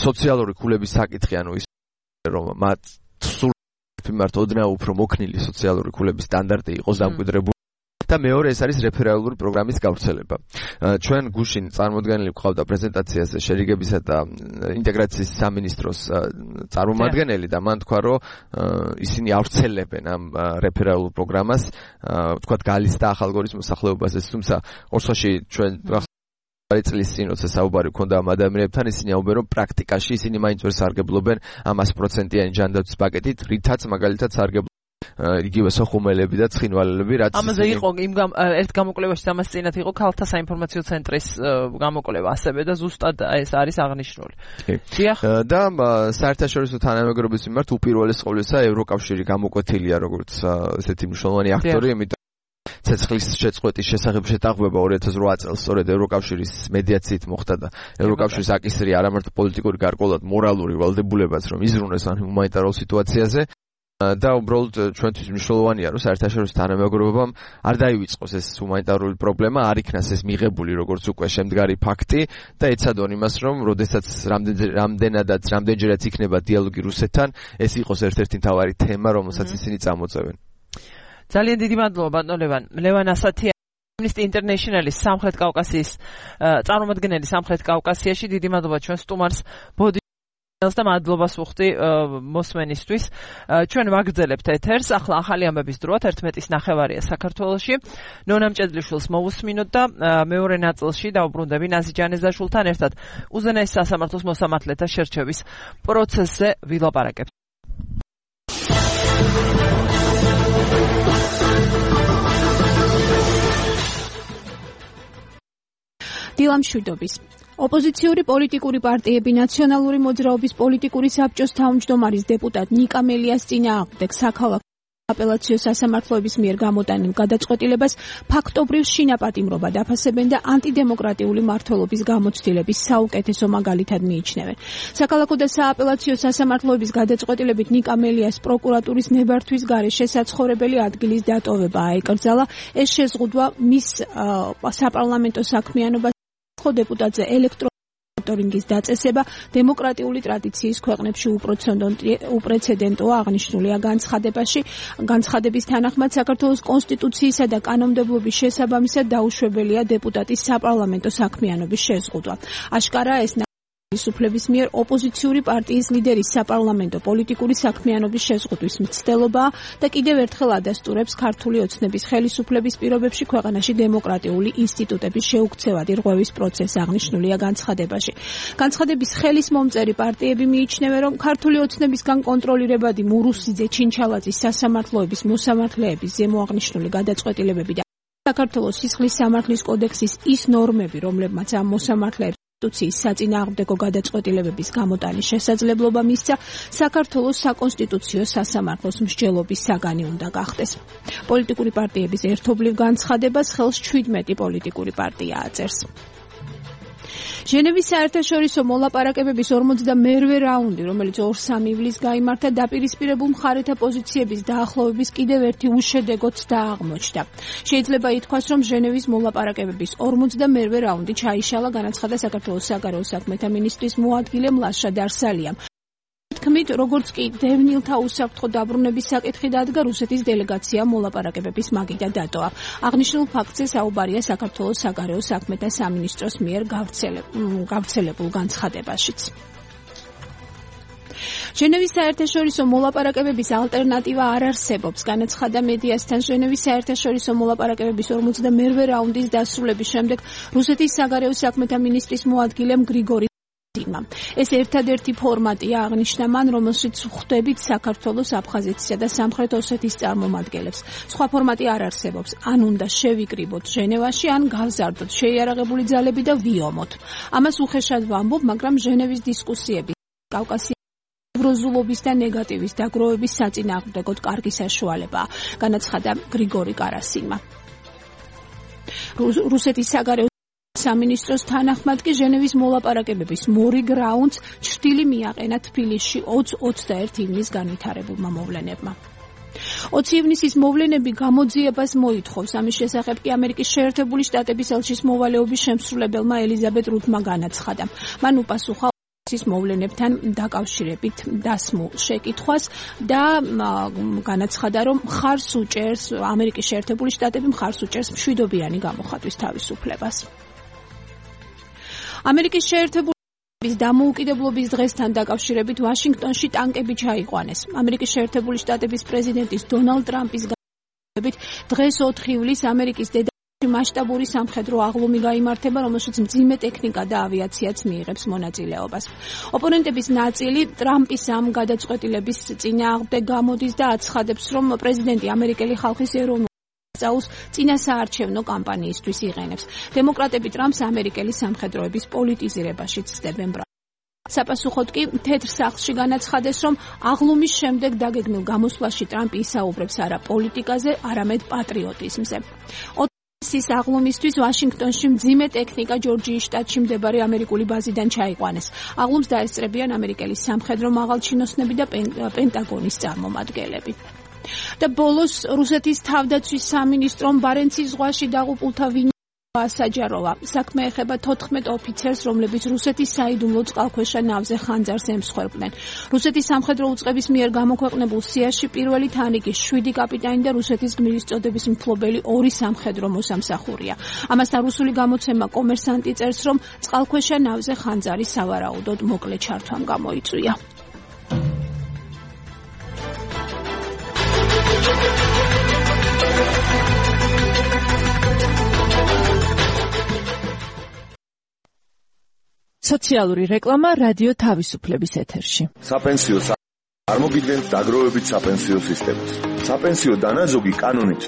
სოციალური ქულების საკითხი, ანუ ის რომ მათ სულ მიმართ ოდნავ უფრო მოქნილი სოციალური ქულების სტანდარტი იყოს დამკვიდრებული. და მეორე ეს არის რეფერალური პროგრამის გავრცელება. ჩვენ გუშინ წარმოდგენილი გვყავდა პრეზენტაციაზე შერიგებისა და ინტეგრაციის სამინისტროს წარმომადგენელი და მან თქვა, რომ ისინი ავრცელებენ ამ რეფერალურ პროგრამას, თქვათ გალის და ახალგორის მოსახლეობაზე, თუმცა ორსოში ჩვენ წლის წინ როცა საუბარი ქონდა ამ ადამიანებთან, ისინი აუბენ, რომ პრაქტიკაში ისინი მაინც ვერ სარგებლობენ ამ sto პროცენტიანი ჯანდაცვის პაკეტით, რითაც მაგალითად სარგებლობენ იგივე სოხუმელები და ცხინვალელები, რაც ამაზე იყო იმ ერთ გამოკვლევაში ამას წინათ იყო ქალთა საინფორმაციო ცენტრის გამოკვლევა ასევე და ზუსტად ეს არის აღნიშნული. დიახ. და საერთაშორისო თანამეგობრობის მიმართ უპირველეს ყოვლისა ევროკავშირი გამოკვეთილია როგორც ესეთი მნიშვნელოვანი აქტორი, იმიტომ ცეცხლის შეწყვეტის შესახებ შეტყობება ორი ათას რვა წელს სწორედ ევროკავშირის მედიაციით მოხდა და ევროკავშირის აკისრი არამარტო პოლიტიკური გარკვეულად მორალური ვალდებულებაც რომ იზრუნოს ამ ჰუმანიტარულ სიტუაციაზე და უბრალოდ ჩვენთვის მნიშვნელოვანია რომ საერთაშორისო თანამეგობრობამ არ დაივიწყოს ეს ჰუმანიტარული პრობლემა, არ იქნას ეს მიღებული როგორც უკვე შემდგარი ფაქტი და ეცადონ იმას რომ როდესაც რამდენადაც რამდენჯერაც იქნება დიალოგი რუსეთთან, ეს იყოს ერთ-ერთი მთავარი თემა, რომელსაც ისინი წამოწევენ. ძალიან დიდი მადლობა ბატონ ლევან. ლევან ასათიანი, Amnesty International-ის სამხრეთ კავკასიის წარმომადგენელი სამხრეთ კავკასიაში, დიდი მადლობა ჩვენ სტუმარს ბოდიშელს და მადლობას ვუხდი მოსმენისთვის. ჩვენ ვაგრძელებთ ეთერს, ახლა ახალი ამბების დროა, ერთმეტის ნახევარია საქართველოში. ნონა მჭედლიშვილს მოვუსმინოთ და მეორე ნაწილში დავუბრუნდები ნაზი ჯანეზაშვილთან ერთად უზენაეს სასამართლოს მოსამართლეთა შერჩევის პროცესზე ვილაპარაკებთ. დილამშვიდობის. ოპოზიციური პოლიტიკური პარტიები ნაციონალური მოძრაობის პოლიტიკური საბჭოს თავმჯდომარის დეპუტატ ნიკა მელიას წინააღმდეგ საქალაქო აპელაციო სასამართლოების მიერ გამოტანილ გადაწყვეტილებას ფაქტობრივ შინაპატიმრობა დაფასებენ და ანტიდემოკრატიული მმართველობის გამოცდილების საუკეთესო მაგალითად მიიჩნევენ. საქალაქო და სააპელაციო სასამართლოების გადაწყვეტილებით ნიკა მელიას პროკურატურის ნებართვის გარეშე საცხოვრებელი ადგილის დატოვება აეკრძალა. ეს შეზღუდვა მის საპარლამენტო საქმიანობას დეპუტატზე ელექტრო მონიტორინგის დაწესება დემოკრატიული ტრადიციის ქვეყნებში უპრეცედენტოა აღნიშნულია განცხადებაში. განცხადების თანახმად საქართველოს კონსტიტუციისა და კანონმდებლობის შესაბამისად დაუშვებელია დეპუტატის საპარლამენტო საქმიანობის შეზღუდვა. აშკარაა ეს ხელისუფლების მიერ ოპოზიციური პარტიის ლიდერის საპარლამენტო პოლიტიკური საქმიანობის შეზღუდვის მცდელობაა და კიდევ ერთხელ ადასტურებს ქართული ოცნების ხელისუფლების პირობებში ქვეყანაში დემოკრატიული ინსტიტუტების შეუქცევადი რღვევის პროცესს აღნიშნულია განცხადებაში. განცხადების ხელის მომწერი პარტიები მიიჩნევენ, რომ ქართული ოცნებისგან კონტროლირებადი მურუსიძე, ჩინჩალაძის სასამართლოების მოსამართლეების ზემო აღნიშნული გადაწყვეტილებები და საქართველოს სისხლის სამართლის კოდექსის ის ნორმები, რომლებმაც ამ მოსამართლეებს კონსტიტუციის საწინააღმდეგო გადაწყვეტილებების გამოტანის შესაძლებლობა მისცა, საქართველოს საკონსტიტუციო სასამართლოს მსჯელობის საგანი უნდა გახდეს. პოლიტიკური პარტიების ერთობლივ განცხადებას ხელს ჩვიდმეტი პოლიტიკური პარტია აწერს. ჟენევის საერთაშორისო მოლაპარაკებების ორმოცდამერვე რაუნდი, რომელიც ორ სამი ივლისს გაიმართა, დაპირისპირებულ მხარეთა პოზიციების დაახლოების კიდევ ერთი უშედეგოც დააღმოჩნდა. შეიძლება ითქვას, რომ ჟენევის მოლაპარაკებების ორმოცდამერვე რაუნდი ჩაიშალა, განაცხადა საქართველოს საგარეო საქმეთა მინისტრის მოადგილე მლაშა დარსალიამ. თქმით, როგორც კი დევნილთა უსაფრთხო დაბრუნების საკითხი დადგა, რუსეთის დელეგაცია მოლაპარაკებების მაგიდა დატოვა. აღნიშნულ ფაქტზე საუბარია საქართველოს საგარეო საქმეთა სამინისტროს მიერ გავრცელებულ განცხადებაშიც. ჟენევის საერთაშორისო მოლაპარაკებების ალტერნატივა არ არსებობს, განაცხადა მედიასთან ჟენევის საერთაშორისო მოლაპარაკებების ორმოცდამერვე რაუნდის დასრულების შემდეგ რუსეთის საგარეო საქმეთა მინისტრის მოადგილემ გრიგორი ეს ერთადერთი ფორმატია, აღნიშნა მან, რომელშიც ხვდებით საქართველოს, აფხაზეთისა და სამხრეთ ოსეთის წარმომადგენლებს. სხვა ფორმატი არ არსებობს. ან უნდა შევიკრიბოთ ჟენევაში, ან გავზარდოთ შეიარაღებული ძალები და ვიომოთ. ამას უხეშად ვამბობ, მაგრამ ჟენევის დისკუსიები კავკასიის ევროზულობის და ნეგატივის დაგროვების საწინააღმდეგოდ კარგი საშუალებაა, განაცხადა გრიგორი კარასინმა. რუსეთის საგარეო სამინისტროს თანახმად კი ჟენევის მოლაპარაკებების მორიგ რაუნდს ჩრდილი მიაყენა თბილისში ოცი ოცდაერთი ივნის განვითარებულმა მოვლენებმა. ოცი ივნისის მოვლენები გამოძიებას მოითხოვს. ამის შესახებ კი ამერიკის შეერთებული შტატების ელჩის მოვალეობის შემსრულებელმა ელიზაბეთ რუთმა განაცხადა. მან უპასუხა ის მოვლენებთან დაკავშირებით დასმულ შეკითხვას და განაცხადა, რომ მხარს უჭერს ამერიკის შეერთებული შტატები მხარს უჭერს მშვიდობიანი გამოხატვის თავისუფლებას. ამერიკის შეერთებული შტატების დამოუკიდებლობის დღესთან დაკავშირებით ვაშინგტონში ტანკები ჩაიყვანეს. ამერიკის შეერთებული შტატების პრეზიდენტის დონალდ ტრამპის განმეორებით დღეს ოთხი ივლისს ამერიკის დედაქალაქში მასშტაბური სამხედრო აღლუმი გაიმართება, რომელშიც მძიმე ტექნიკა და ავიაციაც მიიღებს მონაწილეობას. ოპონენტების ნაწილი ტრამპის ამ გადაწყვეტილების წინააღმდეგ გამოდის და აცხადებს, რომ პრეზიდენტი ამერიკელი ხალხის ეროვნულ წაუს წინასაარჩევნო კამპანიისთვის იყენებს. დემოკრატები ტრამპს ამერიკელი სამხედროების პოლიტიზირებაში ცდებენ. საპასუხოდ კი თეთრ სახლში განაცხადეს, რომ აღლუმის შემდეგ დაგეგმილ გამოსვლაში ტრამპი ისაუბრებს არა პოლიტიკაზე, არამედ პატრიოტიზმზე. ის აღლუმისთვის ვაშინგტონში მძიმე ტექნიკა ჯორჯიის შტატში მდებარე ამერიკული ბაზიდან ჩაიყვანეს. აღლუმს დაესწრებიან ამერიკელი სამხედრო მაღალჩინოსნები და პენტაგონის წარმომადგენლები. და ბოლოს რუსეთის თავდაცვის სამინისტრომ ბარენცის ზღვაში დაღუპულთა ვინაობა ასაჯაროვა. საქმე ეხება თოთხმეტ ოფიცერს, რომლებიც რუსეთის საიდუმლო წყალქვეშა ნავზე ხანძარს ემსხვერპლნენ. რუსეთის სამხედრო უწყების მიერ გამოქვეყნებულ სიაში პირველი თანრიგის შვიდი კაპიტანი და რუსეთის გმირის წოდების მფლობელი ორი სამხედრო მოსამსახურია. ამასთან რუსული გამოცემა კომერსანტი წერს, რომ წყალქვეშა ნავზე ხანძარი სავარაუდოდ მოკლე ჩართვამ გამოიწვია. სოციალური რეკლამა რადიო თავისუფლების ეთერში. საპენსიო არ მოგიდგენთ დაგროვებით საპენსიო სისტემას. საპენსიო დანაზოგი კანონით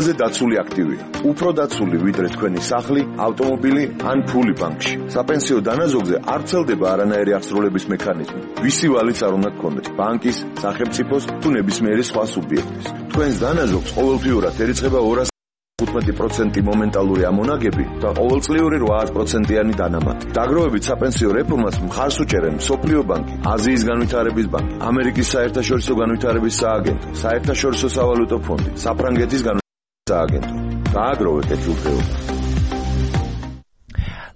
ზე დაცული აქტივია. უფრო დაცული ვიდრე თქვენი სახლი, ავტომობილი ან ფული ბანკში. საპენსიო დანაზოგზე არ ვრცელდება არანაირი აღსრულების მექანიზმი. ვისი ვალიც არ უნდა გქონდეთ, ბანკის, სახელმწიფოს თუ ნებისმიერი სხვა სუბიექტის. თქვენს დანაზოგს ყოველთვიურად ერიცხება ორასი თხუთმეტი პროცენტი მომენტალური ამონაგები და ყოველწლიური რვაასი პროცენტიანი დანამატი. დაგროვებით საპენსიო რეფორმას მხარს უჭერენ მსოფლიო ბანკი, აზიის განვითარების ბანკი, ამერიკის საერთაშორისო განვითარების სააგენტო, საერთაშორისო სავალუტო ფონდი, საფრანგეთის განვითარების სააგენტო. დააგროვეთ ეს უფლება.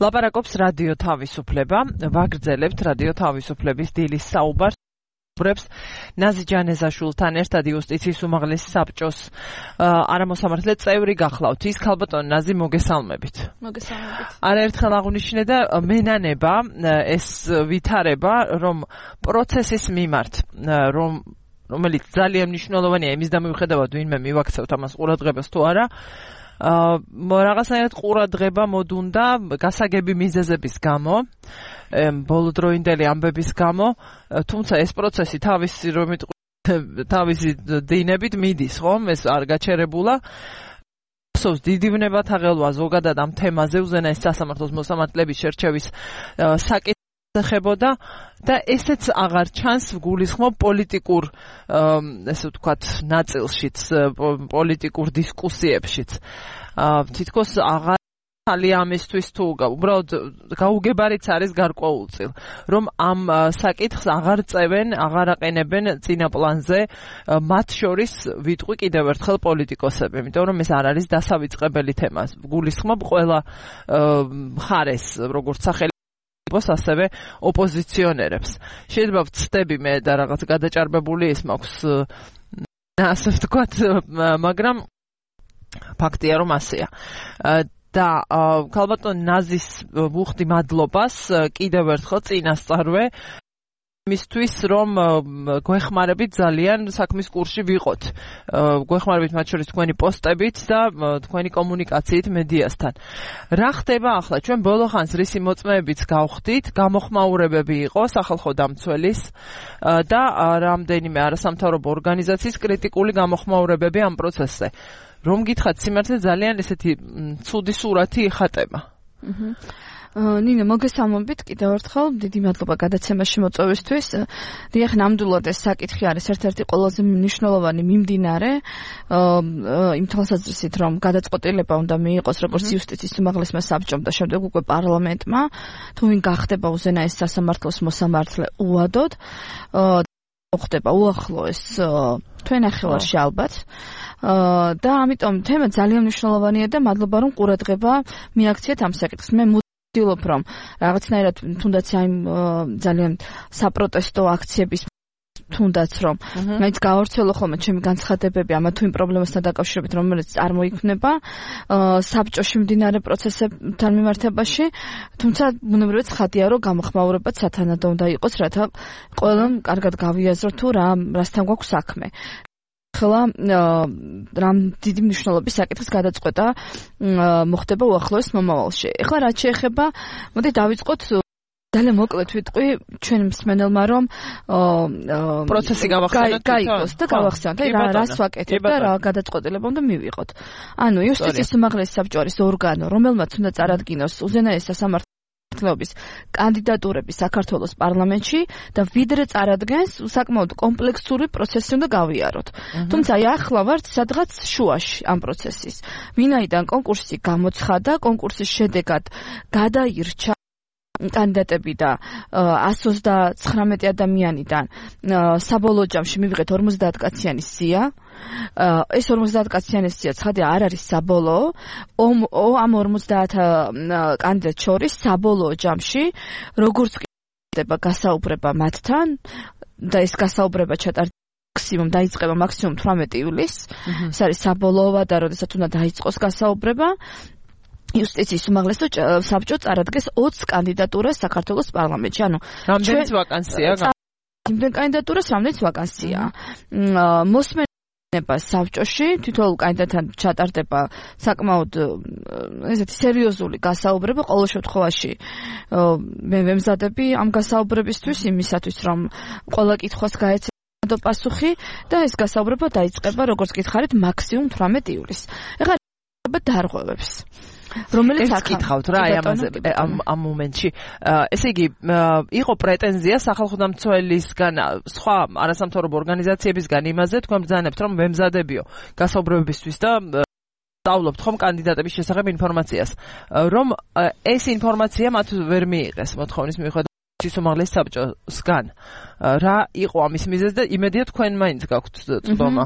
ლაპარაკობს რადიო თავისუფლება, ვაგრძელებთ რადიო თავისუფლების დილის საუბარს. ბრებს ნაზი ჯანეზაშვილთან ერთად იუსტიციის უმაღლესი საბჭოს არამოსამართლე წევრი გახლავთ. ის ქალბატონ ნაზი მოგესალმებით. მოგესალმებით. არაერთხელ აღნიშნე და მენანება ეს ვითარება, რომ პროცესის მიმართ, რომ რომელიც ძალიან მნიშვნელოვანია იმის და მიუხედავად ვინმე მივაქცევთ ამას ყურადღებას თუ არა, აა რაღაცნაირად ყურადღება მოდუნდა გასაგები მიზეზების გამო, ბოლოდროინდელი ამბების გამო, თუმცა ეს პროცესი თავისი რომ თავისი დინებით მიდის, ხომ? ეს არ გაჩერებულა. სოს დიდი ვნებათ აღელვა ზოგადად ამ თემაზე უზენაეს სასამართლოს მოსამართლეების შერჩევის საკითხი ხებოდა და ესეც აღარ ჩანს გულისხმობ პოლიტიკურ ესე ვთქვათ ნაწილშიც, პოლიტიკურ დისკუსიებშიც. თითქოს აღარ ხალია ამისთვის თუ უბრალოდ გაუგებარიც არის გარკვეულწილ, რომ ამ საკითხს აღარ წევენ, აღარ აყენებენ წინა პლანზე მათ შორის ვიტყვი კიდევ ერთხელ პოლიტიკოსები, იმიტომ რომ ეს არ არის დასავიწყებელი თემა. გულისხმობ ყველა მხარეს, როგორც სახელი ასევე ოპოზიციონერებს. შეიძლება ვცდები მე და რაღაც გადაჭარბებული ის მაქვს ასე ვთქვათ, მაგრამ ფაქტია რომ ასეა. და ქალბატონ ნაზის ვუხდი მადლობას კიდევ ერთხელ წინასწარვე იმისთვის, რომ გვეხმარებით ძალიან საქმის კურსში ვიყოთ. გვეხმარებით მათ შორის თქვენი პოსტებით და თქვენი კომუნიკაციით მედიასთან. რა ხდება ახლა? ჩვენ ბოლო ხანს რისი მოწმეებიც გავხდით, გამოხმაურებები იყო სახალხო დამცველის და რამდენიმე არასამთავრობო ორგანიზაციის კრიტიკული გამოხმაურებები ამ პროცესზე. რომ გითხრათ, სიმართლე ძალიან ესეთი ცუდი სურათი იხატება. ნინო, მოგესალმებით კიდევ ერთხელ, დიდი მადლობა გადაცემაში მოწვევისთვის. დიახ, ნამდვილად ეს საკითხი არის ერთ-ერთი ყველაზე მნიშვნელოვანი მიმდინარე იმ თვალსაზრისით, რომ გადაწყვეტილება უნდა მიიღოს როგორც იუსტიციის უმაღლესმა საბჭომ და შემდეგ უკვე პარლამენტმა, თუ ვინ გახდება უზენაეს სასამართლოს მოსამართლე უადოდ, ხდება უახლოეს თქვენ ნახევარში ალბათ. და ამიტომ თემა ძალიან მნიშვნელოვანია და მადლობა რომ ყურადღება მიაქციეთ ამ საკითხს. მე ვცდილობ რომ რაღაცნაირად თუნდაც აი ძალიან საპროტესტო აქციების თუნდაც რომ მეც გავავრცელო ხოლმე ჩემი განცხადებები ამა თუ იმ პრობლემასთან დაკავშირებით, რომელიც წარმოიქმნება საბჭოში მიმდინარე პროცესებთან მიმართებაში, თუმცა ბუნებრივად ცხადია რომ გამოხმაურებაც სათანადო უნდა იყოს, რათა ყველამ კარგად გავიაზროთ თუ რა რასთან გვაქვს საქმე. ხელა რამ დიდი მნიშვნელობის საკითხის გადაწყვეტა მოხდება უახლოეს მომავალში. ეხლა რაც შეეხება, მოდი დავიწყოთ ძალიან მოკლედ ვიტყვი ჩვენ მსმენელმა, რომ პროცესი გავახსენოთ გაიგოს და გავახსენოთ რა რას ვაკეთებ და რა გადაწყვეტილება უნდა მივიღოთ. ანუ იუსტიციის უმაღლესი საბჭო არის ორგანო, რომელმაც უნდა წარადგინოს უზენაეს სასამართლო კანდიდატურები საქართველოს პარლამენტში და ვიდრე წარადგენს, საკმაოდ კომპლექსური პროცესი უნდა გავიაროთ. თუმცა აი ახლა ვართ სადღაც შუაში ამ პროცესის. ვინაიდან კონკურსი გამოცხადა, კონკურსის შედეგად გადაირჩა კანდიდატები და ასი ოცდათხრამეტი ადამიანიდან საბოლოო ჯამში მივიღეთ ორმოცდაათ კაციანი სია. ეს ორმოცდაათ კაციანი სია ცხადია არ არის საბოლოო. ამ ორმოცდაათ კანდიდატ შორის საბოლოო ჯამში როგორც ხდება გასაუბრება მათთან და ეს გასაუბრება ჩატარდება მაქსიმუმ დაიწყება მაქსიმუმ თვრამეტი ივლისს. ეს არის საბოლოო ვადა, როდესაც უნდა დაიწყოს გასაუბრება. იუსტიციის უმაღლესი საბჭო წარადგენს ოცს კანდიდატურას საქართველოს პარლამენტში. ანუ რამდენიც ვაკანსია? იმდენ კანდიდატურას რამდენიც ვაკანსია. მოსმენება საბჭოში თითოეულ კანდიდატთან ჩატარდება საკმაოდ ესეთი სერიოზული გასაუბრება. ყოველ შემთხვევაში მე ვემზადები ამ გასაუბრებისთვის იმისათვის, რომ ყველა კითხვას გაეცემა საშუალო პასუხი და ეს გასაუბრება დაიწყება როგორც გითხარით მაქსიმუმ თვრამეტ ივლისს. ეხლა დარღვევებს რომელიც აკითხავთ რა აი ამაზე ამ ამ მომენტში ესე იგი იყო პრეტენზია სახელმწიფოთმცველისგან სხვა არასამთავრობო ორგანიზაციებისგან იმაზე თქვენ ბრძანებთ რომ მემზადებიო გასაუბრებებისთვის და სწავლობთ ხომ კანდიდატების შესახებ ინფორმაციას რომ ეს ინფორმაცია მათ ვერ მიიღეს მოთხოვნის მიუხედავად უმაღლეს საბჭოსგან რა იყო ამის მიზეზი და იმედია თქვენ მაინც გაქვთ წვდომა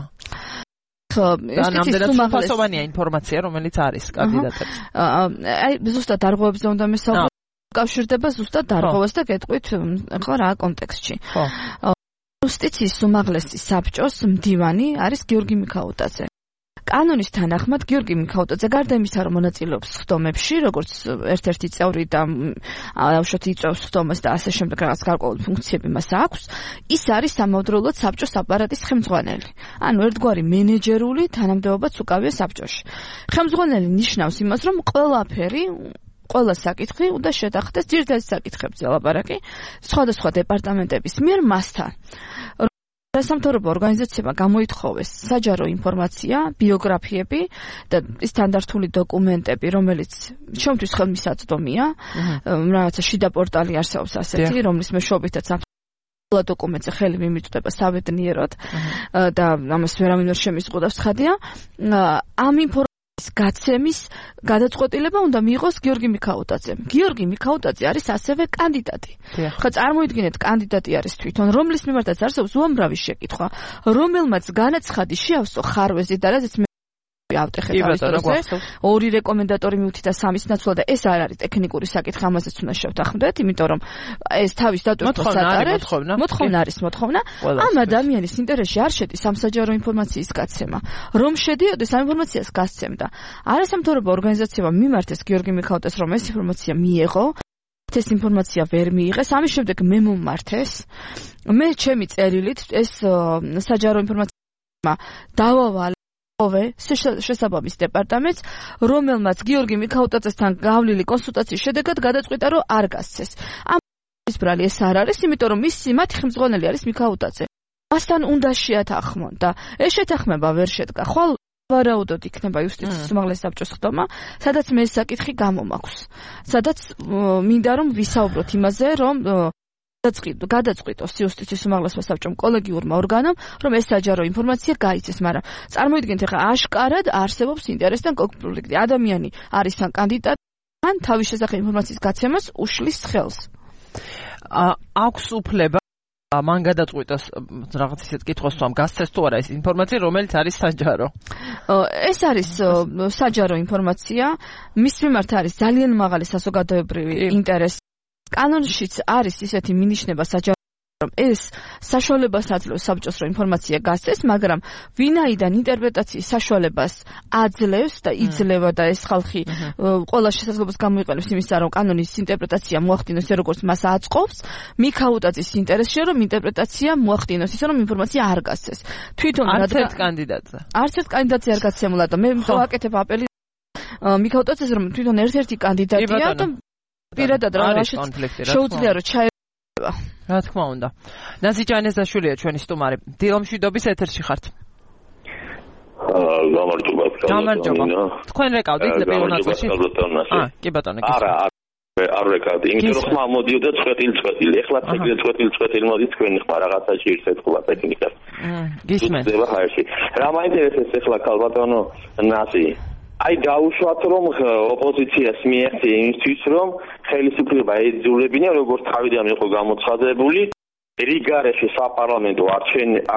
და ნამდვილად სრულფასოვანია ინფორმაცია რომელიც არის კანდიდატებს აი ზუსტად დარღვევებზე უნდა მესაუბროთ კავშირდება ზუსტად დარღვევას და გეტყვით ხო რა კონტექსტში იუსტიციის უმაღლესი საბჭოს მდივანი არის გიორგი მიქაუტაძე კანონის თანახმად გიორგი მიქაუტაძე გარდა იმისა რომ მონაწილეობს სხდომებში როგორც ერთ-ერთი წევრი და აუშვათ იწვევს სხდომას და ასე შემდეგ რაღაც გარკვეული ფუნქციები მას აქვს ის არის სამავდროულად საბჭოს აპარატის ხელმძღვანელი ანუ ერთგვარი მენეჯერული თანამდებობაც უკავია საბჭოში ხელმძღვანელი ნიშნავს იმას რომ ყველაფერი ყველა საკითხი უნდა შეთანხმდეს ძირითადი საკითხებზე ლაპარაკი სხვადასხვა დეპარტამენტების მიერ მასთან სასამთავრობო ორგანიზაციებმა გამოითხოვეს საჯარო ინფორმაცია, ბიოგრაფიები და სტანდარტული დოკუმენტები, რომელიც ჩემთვის ხელმისაწვდომია. რაღაცა შიდა პორტალი არსებობს ასეთი, რომლის მეშვეობითაც ამ დოკუმენტზე ხელი მიმიწვდება საბედნიეროდ და ამას ვერავინ ვერ შემიზღუდავს ხადია. ამ ინფორმაციის გაცემის გადაწყვეტილება უნდა მიიღოს გიორგი მიქაუტაძემ. გიორგი მიქაუტაძე არის ასევე კანდიდატი. ხა წარმოიდგინეთ, კანდიდატი არის თვითონ, რომლის მიმართაც არსებობს უამრავი შეკითხვა, რომელმაც განაცხადი შეავსო ხარვეზი და რადგან ავტეხეთ არის პროცესი, ორი რეკომენდატორი მივთი და სამის ნაცვლად და ეს არ არის ტექნიკური საკითხი, ამაზეც უნდა შევთანხმდეთ, იმიტომ რომ ეს თავის დატვირთვას ატარებს. მოთხოვნა არის მოთხოვნა. ამ ადამიანის ინტერესში არ შედის სამსაჯარო ინფორმაციის გაცემა. რომ შედიოდეს ამ ინფორმაციას გასცემდა. არასამთავრობო ორგანიზაციებმა მიმართეს გიორგი მიქაუტაძეს, რომ ეს ინფორმაცია მიეღო. ეს ინფორმაცია ვერ მიიღეს. ამის შემდეგ მე მომმართეს. მე ჩემი წერილით ეს საჯარო ინფორმაცია დავავალე ოვე შესაბამის დეპარტამენტს, რომელმაც გიორგი მიქაუტაძესთან გავლილი კონსულტაციის შედეგად გადაწყვიტა, რომ არ გასცეს. ამ ის ბრალი ეს არ არის, იმიტომ რომ მისი მათი ხელმძღვანელი არის მიქაუტაძე. მასთან უნდა შეათანხმონ და ეს შეთანხმება ვერ შედგა. ხვალ ვარაუდოდ იქნება იუსტიციის უმაღლესი საბჭოს ხდომა, სადაც მე ეს საკითხი გამომაქვს. სადაც მინდა რომ ვისაუბროთ იმაზე, რომ გადაწყვიტოს იუსტიციის უმაღლესმა საბჭომ კოლეგიურმა ორგანომ, რომ ეს საჯარო ინფორმაცია გაიცეს, მაგრამ წარმოიდგინეთ, ახლა აშკარად არსებობს ინტერესთან კონფლიქტი. ადამიანი არის თან კანდიდატი, ან თავის შესახებ ინფორმაციის გაცემას უშლის ხელს. აქვს უფლება მან გადაწყვიტოს რაღაც ისეთ კითხვას თუ ამ გასცეს თუ არა ეს ინფორმაცია, რომელიც არის საჯარო. ეს არის საჯარო ინფორმაცია, მის მიმართ არის ძალიან მაღალი საზოგადოებრივი ინტერესი. კანონშიც არის ისეთი მინიშნება საჯარო რომ ეს საშუალებას აძლევს საბჭოს რომ ინფორმაცია გასცეს, მაგრამ ვინაიდან ინტერპრეტაციის საშუალებას აძლევს და იძლევა და ეს ხალხი ყველა შესაძლებლობას გამოიყენებს იმისა, რომ კანონის ინტერპრეტაცია მოახდინოს როგორც მას აწყობს, მიქაუტაძის ინტერესია რომ ინტერპრეტაცია მოახდინოს ისე რომ ინფორმაცია არ გასცეს. თვითონ არც ერთ კანდიდატზე. არც ერთ კანდიდატზე არ გაცემულა და მე ვაკეთებ აპელი მიქაუტაძეს რომ თვითონ ერთ-ერთი კანდიდატია და პირადად რაღაცა შეუძლია რომ ჩაება. რა თქმა უნდა. ნაზი ჯანეზაშვილია ჩვენი სტუმარი. დილომშვიდობის ეთერში ხართ. გამარჯობა. გამარჯობა. თქვენ რეკავდით პირველ ნაწილში? აა, კი ბატონო. არა, არ რეკავდი. იმიტომ რომ ხმა მოდიოდა წვეტილი წვეტილი. ეხლა წვეტილი წვეტილი მოდის თქვენი ხმა რაღაცაში ერთეთხლა ტექნიკა. გისმენთ. რა მაინტერესებს ეხლა ქალბატონო ნაზი? აი დაუშვათ რომ ოპოზიციას მიეღწია იმისთვის რომ ხელისუფლება ეძულებინა როგორც თავიდან იყო გამოცხადებული რიგარეში საპარლამენტო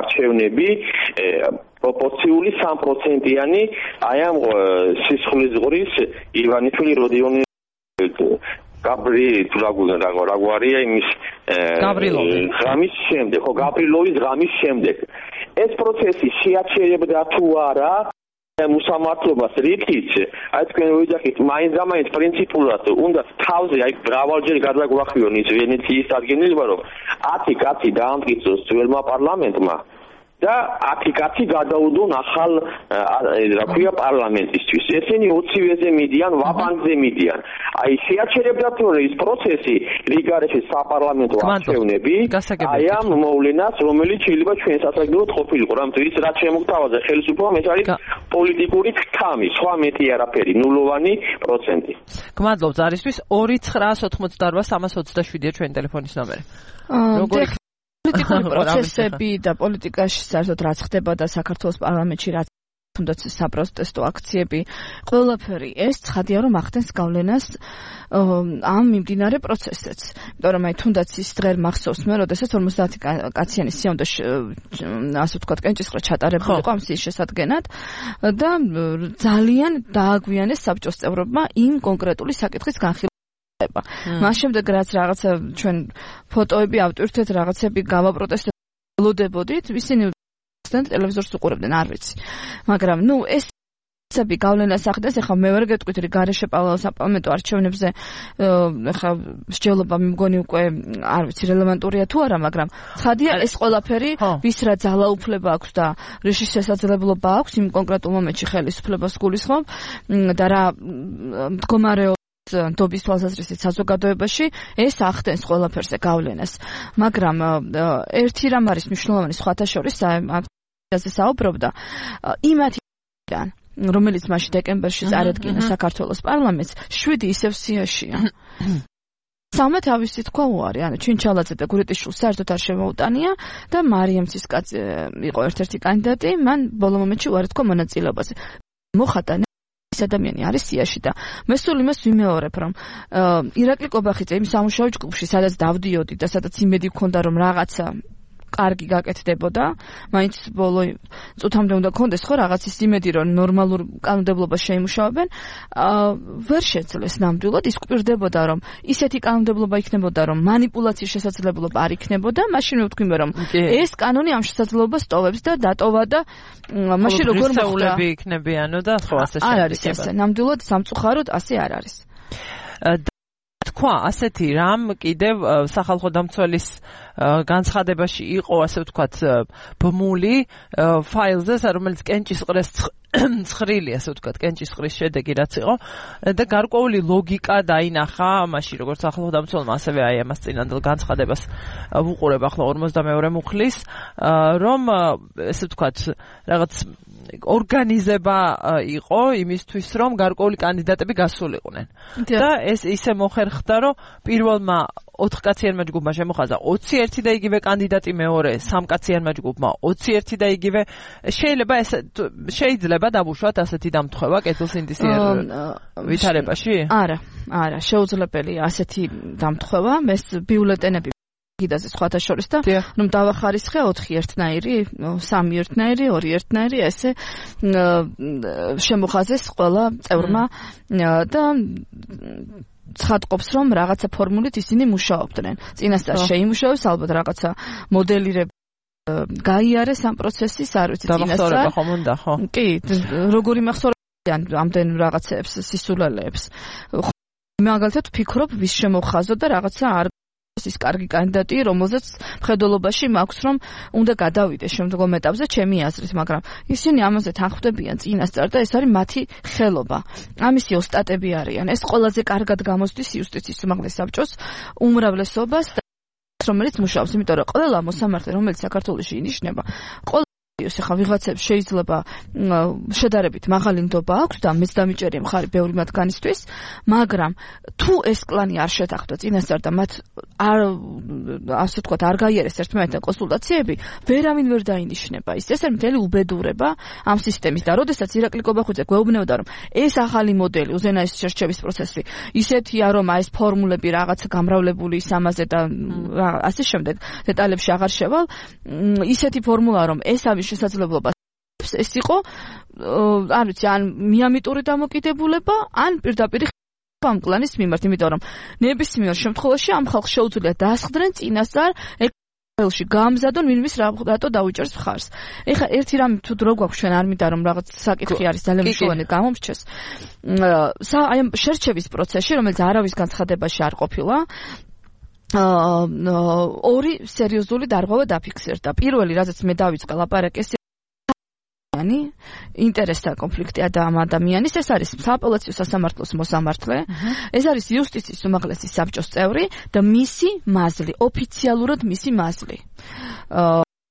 არჩევნები პროპორციული სამ პროცენტიანი აი ამ სისხლის ზღრის ივანიშვილი როდიონი გაბრი თურაგუარია იმის ღამის შემდეგ ხო გაბრილოვის ღამის შემდეგ ეს პროცესი შეაჩერებდა თუ არა მუსამართლობას რითიც აი თქვენ ვიძახით მაინც-ამაინც პრინციპულად უნდა თავზე აი მრავალჯერ გადაგვახიონ ის ვენეციის აღგენილება რომ ათი კაცი დაამტკიცოს ძველმა პარლამენტმა და ათი კაცი გადაუდონ ახალ რა ქვია პარლამენტისთვის. ესენი ოცივეზე მიდიან, ვაბანკზე მიდიან. აი შეაჩერებდათ რომ ეს პროცესი რიგარეში საპარლამენტო არჩევნები აი ამ მოვლენას, რომელიც შეიძლება ჩვენ სასაგებოდ ყოფილიყო, რამეთო ის რაც შემოგთავაზა ხელისუფლებამ, ეს არის პოლიტიკური ქთამი, სხვა მეტი არაფერი, ნულოვანი პროცენტი. გმადლობთ ზარისთვის. ორი ცხრაას ოთხმოცდაორვა სამას ოცდაშვიდია ჩვენი ტელეფონის ნომერი. როგორი პოლიტიკური პროცესები და პოლიტიკაში საერთოდ რაც ხდება და საქართველოს პარლამენტში რაც თუნდაც საპროტესტო აქციები, ყველაფერი ეს ცხადია რომ ახდენს გავლენას ამ მიმდინარე პროცესებს. იმიტომ რომ აი თუნდაც ის დღე მახსოვს მე, როდესაც ორმოცდაათი კაციანი სია უნდა ასე ვთქვათ კენჭისყრა ჩატარებულიყო ამ სიის შესადგენად და ძალიან დააგვიანეს საბჭოს წევრებმა იმ კონკრეტული საკითხის განხილვა. მას შემდეგ რაც რაღაცა ჩვენ ფოტოები ავტვირთეთ, რაღაცები გავაპროტესტებოდით, ისინი ტელევიზორს უყურებდნენ, არ ვიცი. მაგრამ ნუ ეს ცები გავლენას ახდენს, ეხლა მე ვერ გეტყვით რომ გარეშე საპარლამენტო არჩევნებზე ეხლა მსჯელობა მიმგონი უკვე არ ვიცი რელევანტურია თუ არა, მაგრამ ცხადია ეს ყველაფერი ვის რა ძალაუფლება აქვს და რიში შესაძლებლობა აქვს იმ კონკრეტულ მომენტში ხელისუფლებას გულისხმობ და რა მდგომარეობა დობის თვალსაზრისით საზოგადოებაში ეს ახდენს ყველაფერზე გავლენას. მაგრამ ერთი რამ არის მნიშვნელოვანი სხვათა შორის ამაზე საუბრობდა იმათიდან რომელიც მაშინ დეკემბერში წარადგინა საქართველოს პარლამენტს, შვიდი ისევ სიაშია. სამი თავისი თქვა უარი, ანუ ჩინჩალაძე და გურიტიშვილს საერთოდ არ შემოუტანია და მარიამ ცისკაძე იყო ერთ-ერთი კანდიდატი, მან ბოლო მომენტში უარი თქვა მონაწილეობაზე. მოხატა ეს ადამიანი არის სიაში და მე სულ იმას ვიმეორებ, რომ ირაკლი კობახიძე იმ სამუშაო ჯგუფში, სადაც დავდიოდი და სადაც იმედი მქონდა, რომ რაღაცა კარგი გაკეთდებოდა, მაინც ბოლო წუთამდე უნდა გქონდეს ხო რაღაცის იმედი, რომ ნორმალურ კანონმდებლობას შეიმუშავებენ, ვერ შეძლეს ნამდვილად, ის გვპირდებოდა, რომ ისეთი კანონმდებლობა იქნებოდა, რომ მანიპულაციის შესაძლებლობა არ იქნებოდა, მაშინ ვთქვიმე, რომ ეს კანონი ამ შესაძლებლობას ტოვებს და დატოვა და მაშინ როგორ მოხდა იქნებიანო და ხო ასე არ არის ასე, ნამდვილად სამწუხაროდ ასე არ არის. თქვა ასეთი რამ კიდევ სახალხო დამცველის განცხადებაში იყო ასე ვთქვათ ბმული ფაილზე, რომელიც კენჭისყრეს ცხრილი ასე ვთქვათ კენჭისყრის შედეგი რაც იყო და გარკვეული ლოგიკა დაინახა მაშინ როგორც სახალხო დამცველმა, ასევე აი ამას წინანდელ განცხადებას ვუყურებ ახლა ორმოცდამეორე მუხლის, რომ ასე ვთქვათ რაღაც ორგანიზება იყო იმისთვის, რომ გარკვეული კანდიდატები გასულიყვნენ. და ეს ისე მოხერხდა, რომ პირველმა ოთხკაციანმა ჯგუფმა შემოხაზა ოცი ერთი და იგივე კანდიდატი, მეორე სამკაციანმა ჯგუფმა ოცი ერთი და იგივე. შეიძლება ეს შეიძლება დავუშვათ ასეთი დამთხევა კეთილსინდისიერ ვითარებაში? არა, არა, შეუძლებელია ასეთი დამთხევა, ეს ბიულეტენები გიდაზე სხვათა შორის და რომ დავახარისხე ოთხი ერთნაირი, სამი ერთნაირი, ორი ერთნაირი, ესე შემოხაზეს ყველა წევრმა და ცხადყოფს, რომ რაღაცა ფორმულით ისინი მუშაობდნენ. წინასწარ შეიმუშავეს, ალბათ რაღაცა მოდელირება გაიარეს ამ პროცესის, არ ვიცი, წინასწარ. დამახსოვრება ხომ უნდა, ხო? კი, როგორი მახსოვრებიან ამდენ რაღაცეებს, სისულელეებს. მაგალითად ვფიქრობ, ვის შემოხაზო და რაღაცა არ ის კარგი კანდიდატი, რომელზეც მხედველობაში მაქვს, რომ უნდა გადავიდეს შემდგომ ეტაპზე ჩემი აზრით, მაგრამ ისინი ამაზე თანხმდებიან წინასწარ და ეს არის მათი ხელობა. ამისი ოსტატები არიან. ეს ყველაზე კარგად გამოსდის იუსტიციის უმაღლეს საბჭოს უმრავლესობას, რომელიც მუშაობს, იმიტომ რომ ყველა მოსამართლე, რომელიც საქართველოში ინიშნება, ყველა ეხლა ვიღაცებს შეიძლება შედარებით მაღალი ნდობა აქვს და მეც დამიჭერია მხარი ბევრი მათგანისთვის, მაგრამ თუ ეს კლანი არ შეთანხმდა წინასწარ და მათ არ ასე ვთქვათ არ გაიარეს ერთმანეთთან კონსულტაციები, ვერავინ ვერ დაინიშნება. ის ეს არის მთელი უბედურება ამ სისტემის და როდესაც ირაკლი კობახიძე გვეუბნებოდა, რომ ეს ახალი მოდელი, უზენაეს შერჩევის პროცესი ისეთია, რომ აი ეს ფორმულები რაღაც გამრავლებული სამაზე და ასე შემდეგ დეტალებში აღარ შევალ, ისეთი ფორმულა, რომ ეს არის შესაძლებლობა ეს იყო, არ ვიცი, ან მიამიტური დამოკიდებულება, ან პირდაპირ ამ კლანის მიმართ, იმიტომ რომ ნებისმიერ შემთხვევაში ამ ხალხს შეუძლია დასხდნენ წინასწარ ელში გამზადონ ვინმის რატო დაუჭერს მხარს. ეხლა ერთი რამი თუ დრო გვაქვს ჩვენ არ მინდა რომ რაღაც საკითხი არის ძალიან მნიშვნელოვანი გამომრჩეს. აი ამ შერჩევის პროცესში, რომელიც არავის განცხადებაში არ ყოფილა, ორი სერიოზული დარღვევა დაფიქსირდა. პირველი, რაზეც მე დავიწყე ლაპარაკი, ინტერესთა კონფლიქტი ამ ადამიანის, ეს არის სააპელაციო სასამართლოს მოსამართლე, ეს არის იუსტიციის უმაღლესი საბჭოს წევრი და მისი მაზლი, ოფიციალურად მისი მაზლი.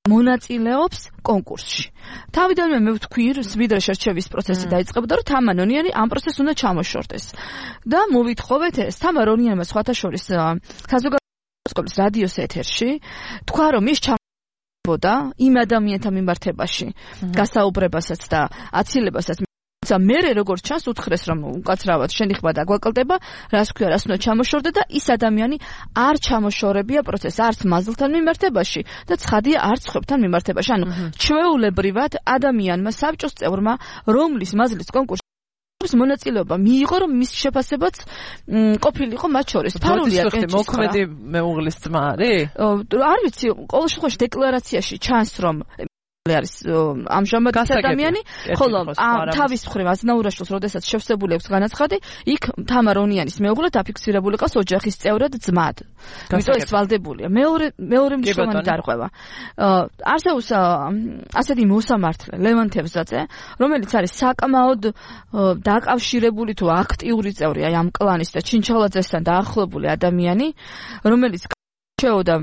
მონაწილეობს კონკურსში. თავიდანვე მე ვთქვი, ვიდრე შერჩევის პროცესი დაიწყებოდა, რომ თამარ რონიანი ამ პროცესს უნდა ჩამოშორდეს. და მოვითხოვეთ ეს თამარ რონიანმა სხვათა შორის საზოგადოების რადიოს ეთერში თქვა, რომ ის და იმ ადამიანთა მიმართებაში გასაუბრებასაც და აცილებასაც მე როგორც ჩანს უთხრეს რომ უკაცრავად შენი ხმა დაგვაკლდება რას ქვია რას უნდა ჩამოშორდე და ის ადამიანი არ ჩამოშორებია პროცესს არც მაზლთან მიმართებაში და ცხადია არც ხვებთან მიმართებაში ანუ ჩვეულებრივად ადამიანმა საბჭოს წევრმა რომლის მაზლის კონკურსი მონაწილეობა მიიღო რომ მის შეფასებაც ყოფილიყო მათ შორის ფარულია კენჭის მოქმედი მეუღლის ძმა არის? არ ვიცი ყოველ შემთხვევაში დეკლარაციაში ჩანს რომ არის ამჟამად ადამიანი, ხოლო თავის მხრივ აზნაურაშვილს, როდესაც შევსებული აქვს განაცხადი, იქ თამარ რონიანის მეუღლე დაფიქსირებული ყავს ოჯახის წევრად ძმად. იმიტომ ეს ვალდებულია. მეორე მეორე მნიშვნელოვანი დარღვევა. არსებობს ასეთი მოსამართლე ლევან თევზაძე, რომელიც არის საკმაოდ დაკავშირებული თუ აქტიური წევრი აი ამ კლანის და ჩინჩალაძესთან დაახლოებული ადამიანი, რომელიც შეოდა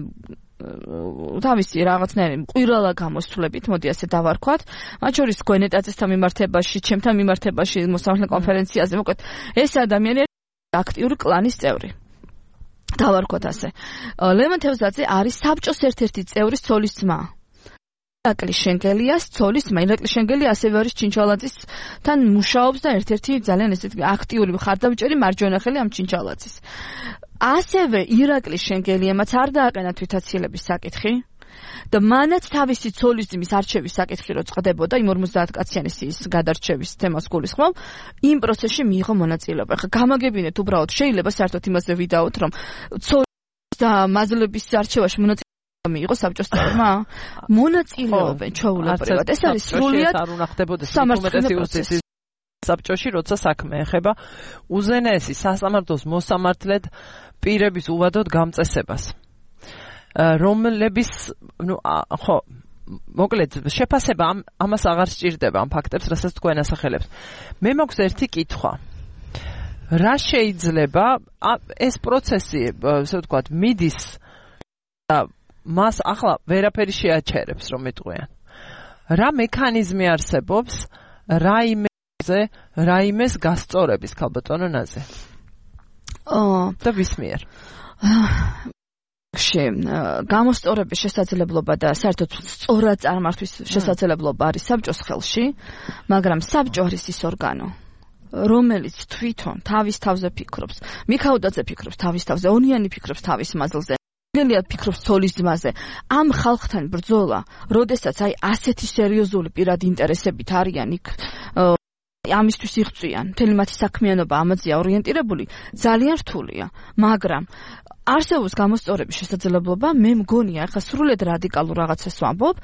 თავისი რაღაცნაირი მყირალა გამოსვლებით, მოდი ასე დავარქვათ, მათ შორის გვენეტაძესთან მიმართებაში, ჩემთან მიმართებაში, მოსამართლე კონფერენციაზე, მოკლედ, ეს ადამიანი აქტიური კლანის წევრი. დავარქვათ ასე. ლევან თევზაძე არის საბჭოს ერთ-ერთი წევრის ცოლის ძმა. ირაკლი შენგელიას ცოლის ძმა. ირაკლი შენგელი ასევე არის ჩინჩალაძისთან მუშაობს და ერთ-ერთი ძალიან ესეთი აქტიური მხარდამჭერი მარჯვენა ხელი ამ ჩინჩალაძის. ასევე ირაკლი შენგელიემაც არ დააყენა თვითაცილების საკითხი და მანაც თავისი ცოლის ძმის არჩევის საკითხი რო წდებოდა იმ ორმოცდაათ კაციანის ის გადარჩევის თემას გულისხმობ იმ პროცესში მიიღო მონაწილეობა. ხა გამაგებინეთ უბრალოდ შეიძლება საერთოდ იმაზე ვიდაოთ რომ ცოლის და მაზლების არჩევაში მონაწილეობა მიიღო საბჭოს წევრმა მონაწილეობენ ჩვეულებრივად ეს არის სრულიად არ უნდა ხდებოდეს ინფორმაციის საბჭოში როცა საქმე ეხება უზენაესი სასამართლოს მოსამართლედ პირების უვადოდ გამწესებას რომლების ნუ ხო მოკლედ შეფასება ამას აღარ სჭირდება ამ ფაქტებს რასაც თქვენ ასახელებთ მე მაქვს ერთი კითხვა რა შეიძლება ეს პროცესი ასე ვთქვათ მიდის და მას ახლა ვერაფერი შეაჩერებს რომ მეტყვიან რა მექანიზმი არსებობს რაიმე რაიმეს გასწორების ქალბატონო ნაზე. აა და ვის მიერ? გამოსწორების შესაძლებლობა და საერთოდ სწორად წარმართვის შესაძლებლობა არის საბჭოს ხელში, მაგრამ საბჭო არის ის ორგანო, რომელიც თვითონ თავის თავზე ფიქრობს. მიქაოდაძე ფიქრობს თავის თავზე, ონიანი ფიქრობს თავის მაზლზე. გელია ფიქრობს ცოლის ძმაზე. ამ ხალხთან ბრძოლა, როდესაც აი ასეთი სერიოზული პირადი ინტერესებით არიან იქ ამისთვის იღწვიან, მთელი მათი საქმიანობა ამაზეა ორიენტირებული, ძალიან რთულია, მაგრამ არსებობს გამოსწორების შესაძლებლობა, მე მგონია, ახლა სრულიად რადიკალურ რაღაცას ვამბობ,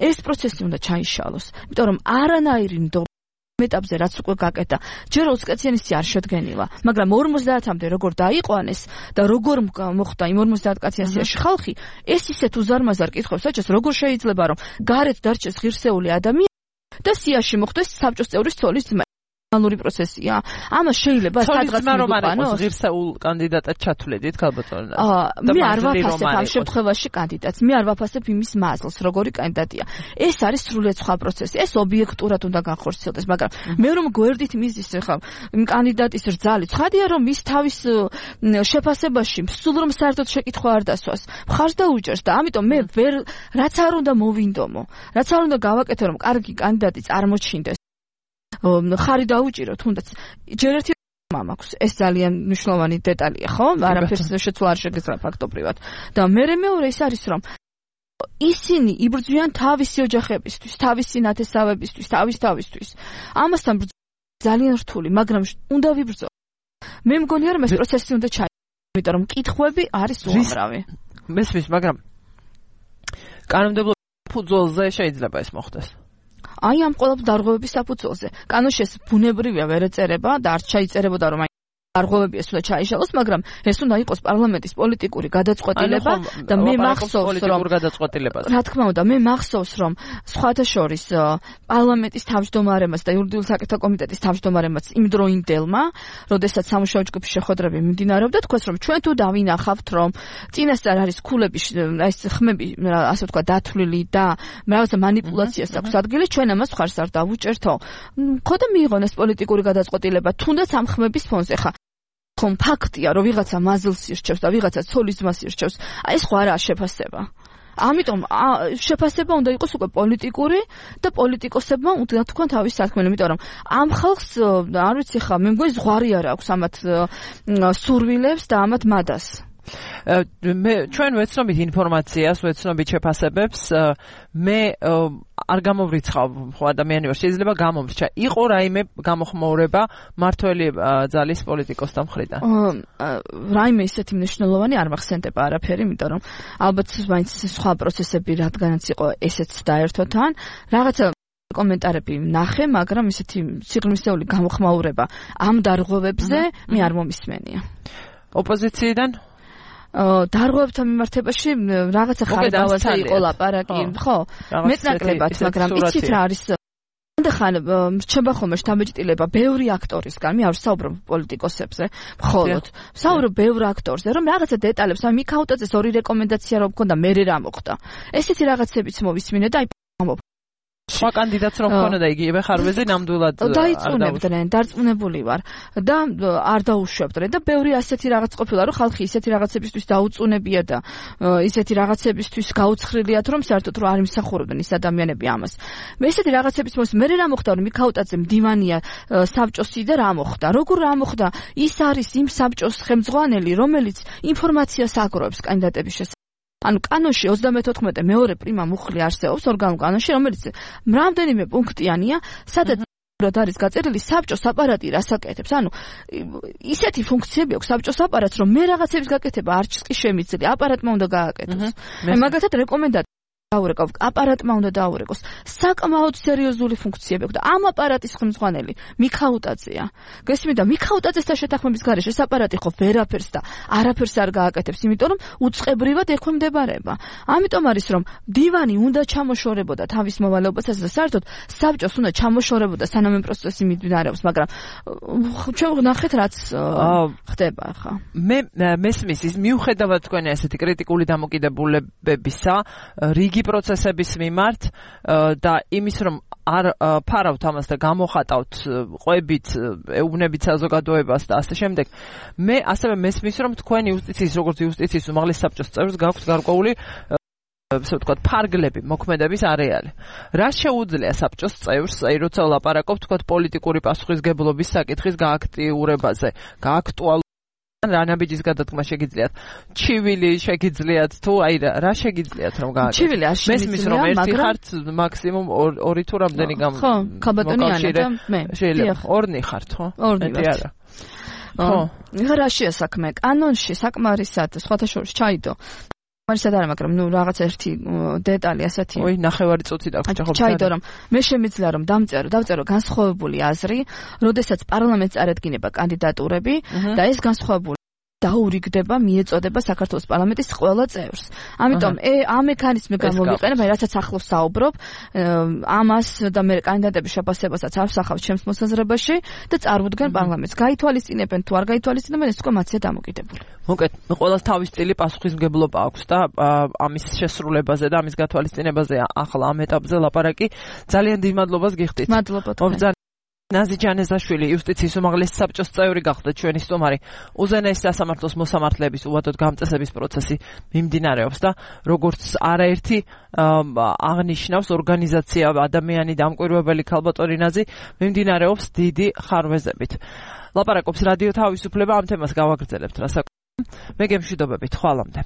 ეს პროცესი უნდა ჩაიშალოს, იმიტომ რომ არანაირი ეტაპზე რაც უკვე გაკეთა, ჯერ ოც კაციანისი არ შედგენილა, მაგრამ ორმოცდაათამდე როგორ დაიყვანეს და როგორ მოხდა იმ ორმოცდაათ კაციანიაში ხალხი, ეს ისეთ უზარმაზარ კითხვებს აჭას, როგორ შეიძლება რომ გარეთ დარჩეს ღირსეული ადამიანი და სიაში მოხდეს საბჭოს წევრის ცოლის ძმა. ნორმალური პროცესია. ამას შეიძლება სადღაც მიდუყანოს ღირსეულ კანდიდატად ჩათვლებდით ქალბატონო. მე არ ვაფასებ ამ შემთხვევაში კანდიდატს. მე არ ვაფასებ იმის მაზლს, როგორი კანდიდატია. ეს არის სრულიად სხვა პროცესი. ეს ობიექტურად უნდა განხორციელდეს, მაგრამ მე რომ გვერდით მიზის ხა იმ კანდიდატის რძალი, ცხადია რომ ის თავის შეფასებაში სულ რომ საერთოდ შეკითხვა არ დასვას. მხარს დაუჭერს და ამიტომ მე ვერ რაც არ უნდა მოვინდომო, რაც არ უნდა გავაკეთო რომ კარგი კანდიდატი წარმოჩინდეს. ხარი დაუჭირო თუნდაც ჯერ ერთი მაქვს ეს ძალიან მნიშვნელოვანი დეტალია ხო არაფერს შეცვლა არ შეგეძლო ფაქტობრივად და მე მეორე ის არის რომ ისინი იბრძვიან თავისი ოჯახებისთვის თავისი ნათესავებისთვის თავის თავისთვის ამასთან ძალიან რთული მაგრამ უნდა ვიბრძო მე მგონია რომ ეს პროცესი უნდა ჩაიგდო იმიტომ რომ კითხვები არის უამრავი მესმის მაგრამ კანონმდებლობის ფუძველზე შეიძლება ეს მოხდეს აი ამ ყოველ დარღვევების საფუძველზე. კანონში ეს ბუნებრივია ვერ ეწერება და არ ჩაიწერებოდა რომ აი არღვევები ეს უნდა ჩაიშალოს, მაგრამ ეს უნდა იყოს პარლამენტის პოლიტიკური გადაწყვეტილება და მე მახსოვს რომ გადაწყვეტილება. რა თქმა უნდა, მე მახსოვს რომ სხვათა შორის პარლამენტის თავმჯდომარემაც და იურიდიული საკითხთა კომიტეტის თავმჯდომარემაც იმ დროინდელმა, როდესაც სამუშაო ჯგუფის შეხვედრები მიმდინარეობდა, თქვას რომ ჩვენ თუ დავინახავთ რომ წინასწარ არის ქულები, აი ეს ხმები, ასე ვთქვა, დათვლილი და რაღაცა манипуляციას აქვს ადგილი, ჩვენ ამას ხარს არ დავუჭერთო. ხო და მიიღონ ეს პოლიტიკური გადაწყვეტილება, თუნდაც ამ ხმების ფონზე ხა ხომ ფაქტია, რომ ვიღაცა მაზლს ირჩევს და ვიღაცა ცოლის ძმას ირჩევს. აი ეს ხო არაა შეფასება. ამიტომ შეფასება უნდა იყოს უკვე პოლიტიკური და პოლიტიკოსებმა უნდა თქვან თავის საქმე, იმიტომ რომ ამ ხალხს არ ვიცი ხა, მე მგონი ზღვარი არ აქვს ამათ სურვილებს და ამათ მადას. მე ჩვენ ვეცნობით ინფორმაციას, ვეცნობით შეფასებებს, მე არ გამოვრიცხავ ხო ადამიანი ვარ, შეიძლება გამომრჩა. იყო რაიმე გამოხმოვრება მართველი ძალის პოლიტიკოსთა მხრიდან? რაიმე ისეთი მნიშვნელოვანი არ მახსენდება არაფერი, იმიტომ რომ ალბათ მაინც სხვა პროცესები რადგანაც იყო ესეც დაერთო თან, რაღაცა კომენტარები ნახე, მაგრამ ისეთი სიღრმისეული გამოხმაურება ამ დარღვევებზე მე არ მომისმენია. ოპოზიციიდან დარღვევებთან მიმართებაში რაღაცა ხარდავაზე იყო ლაპარაკი, ხო? მეტნაკლებად, მაგრამ იცით რა არის? ხან რჩება ხოლმე შთაბეჭდილება ბევრი აქტორისგან, მე არ ვსაუბრობ პოლიტიკოსებზე, მხოლოდ ვსაუბრობ ბევრ აქტორზე, რომ რაღაცა დეტალებს, აი მიქაუტაძეს ორი რეკომენდაცია რომ მქონდა, მე რა მოხდა. ესეთი რაღაცებიც მოვისმინე და აი სხვა კანდიდატს რომ მქონოდა იგივე ხარვეზე ნამდვილად დაიწუნებდნენ, დარწმუნებული ვარ და არ დაუშვებდნენ და ბევრი ასეთი რაღაც ყოფილა, რომ ხალხი ისეთი რაღაცებისთვის დაუწუნებია და ისეთი რაღაცებისთვის გაუცხრილიათ, რომ საერთოდ რომ არ იმსახურებდნენ ის ადამიანები ამას. მე ესეთი რაღაცების მოს მე რა მოხდა, რომ მიქაუტაძე მდივანია საბჭოსი და რა მოხდა? როგორ რა მოხდა? ის არის იმ საბჭოს ხელმძღვანელი, რომელიც ინფორმაციას აგროვებს კანდიდატების შესახებ. ანუ კანონში ოცდამეთოთხმეტე მეორე პრიმა მუხლი არსებობს ორგანულ კანონში, რომელიც რამდენიმე პუნქტიანია, სადაც არის გაწერილი საბჭოს აპარატი რას აკეთებს. ანუ ისეთი ფუნქციები აქვს საბჭოს აპარატს, რომ მე რაღაცების გაკეთება არჩს კი შემიძლია, აპარატმა უნდა გააკეთოს. მე მაგალითად რეკომენდაცია დაურეკავ, აპარატმა უნდა დაურეკოს. საკმაოდ სერიოზული ფუნქციები აქვს და ამ აპარატის ხელმძღვანელი მიქაუტაძეა. გესმით და მიქაუტაძესთან შეთანხმების გარეშე ეს აპარატი ხო ვერაფერს და არაფერს არ გააკეთებს, იმიტომ რომ უწყებრივად ექვემდებარება. ამიტომ არის რომ დივანი უნდა ჩამოშორებოდა თავის მოვალეობასაც და საერთოდ საბჭოს უნდა ჩამოშორებოდა სანამ ამ პროცესი მიმდინარეობს, მაგრამ ჩვენ ვნახეთ რაც ხდება ახლა. მე მესმის ის მიუხედავად თქვენი ასეთი კრიტიკული დამოკიდებულებებისა, რიგი პროცესების მიმართ და იმის რომ არ ფარავთ ამას და გამოხატავთ ყვებით, ეუბნებით საზოგადოებას და ასე შემდეგ, მე ასევე მესმის რომ თქვენი იუსტიციის, როგორც იუსტიციის უმაღლესი საბჭოს წევრს გაქვთ გარკვეული ასე ვთქვათ, ფარგლები, მოქმედების არეალი. რა შეუძლია საბჭოს წევრს, აი როცა ვლაპარაკობთ, თქვათ პოლიტიკური პასუხისგებლობის საკითხის გააქტიურებაზე, გააქტუალ რა ნაბიჯის გადადგმა შეგიძლიათ? ჩივილი შეგიძლიათ თუ აი რა შეგიძლიათ რომ გააკეთოთ? ჩივილი არ შემიძლია, მაგრამ ერთი მაგრამ ხართ მაქსიმუმ ორი თუ რამდენი გამ ხო, ქალბატონიანა და მე. შეიძლება ორნი ხართ, ხო? ორნი ვართ. ხო. რაშია საქმე? კანონში საკმარისად სხვათა შორის ჩაიდო. მარისად არა, მაგრამ ნუ რაღაც ერთი დეტალი ასეთი. ой, ნახევარი წუთი დაგვრჩა ხო? ჩაიდო რომ მე შემიძლია რომ დამწერო, დავწერო განსხვავებული აზრი, როდესაც პარლამენტს წარედგინება კანდიდატურები და ეს განსხვავებული დაურიგდება, მიეწოდება საქართველოს პარლამენტის ყველა წევრს. ამიტომ ამ მექანიზმი გამოვიყენებ, რასაც ახლოს საუბრობ, ამას და მე კანდიდატების შეფასებასაც ავსახავ ჩემს მოსაზრებაში და წარვდგენ პარლამენტს. გაითვალისწინებენ თუ არ გაითვალისწინებენ, ეს უკვე მათზე დამოკიდებული. მოკეთ, ყველას თავის სტილი პასუხისმგებლობა აქვს და ამის შესრულებაზე და ამის გათვალისწინებაზე ახლა ამ ეტაპზე ლაპარაკი. ძალიან დიდ მადლობას გიხდით. მადლობა. ნაზი ჯანეზაშვილი, იუსტიციის უმაღლესი საბჭოს წევრი გახდა ჩვენი სტუმარი. უზენაესი სასამართლოს მოსამართლეების უვადოდ გამწესების პროცესი მიმდინარეობს და როგორც არაერთი აღნიშნავს ორგანიზაცია ადამიანი დამკვირვებელი ქალბატონი ნაზი მიმდინარეობს დიდი ხარვეზებით. ლაპარაკობს რადიო თავისუფლება, ამ თემას გავაგრძელებთ რასაკვირველია. მე გემშვიდობებით, ხვალამდე.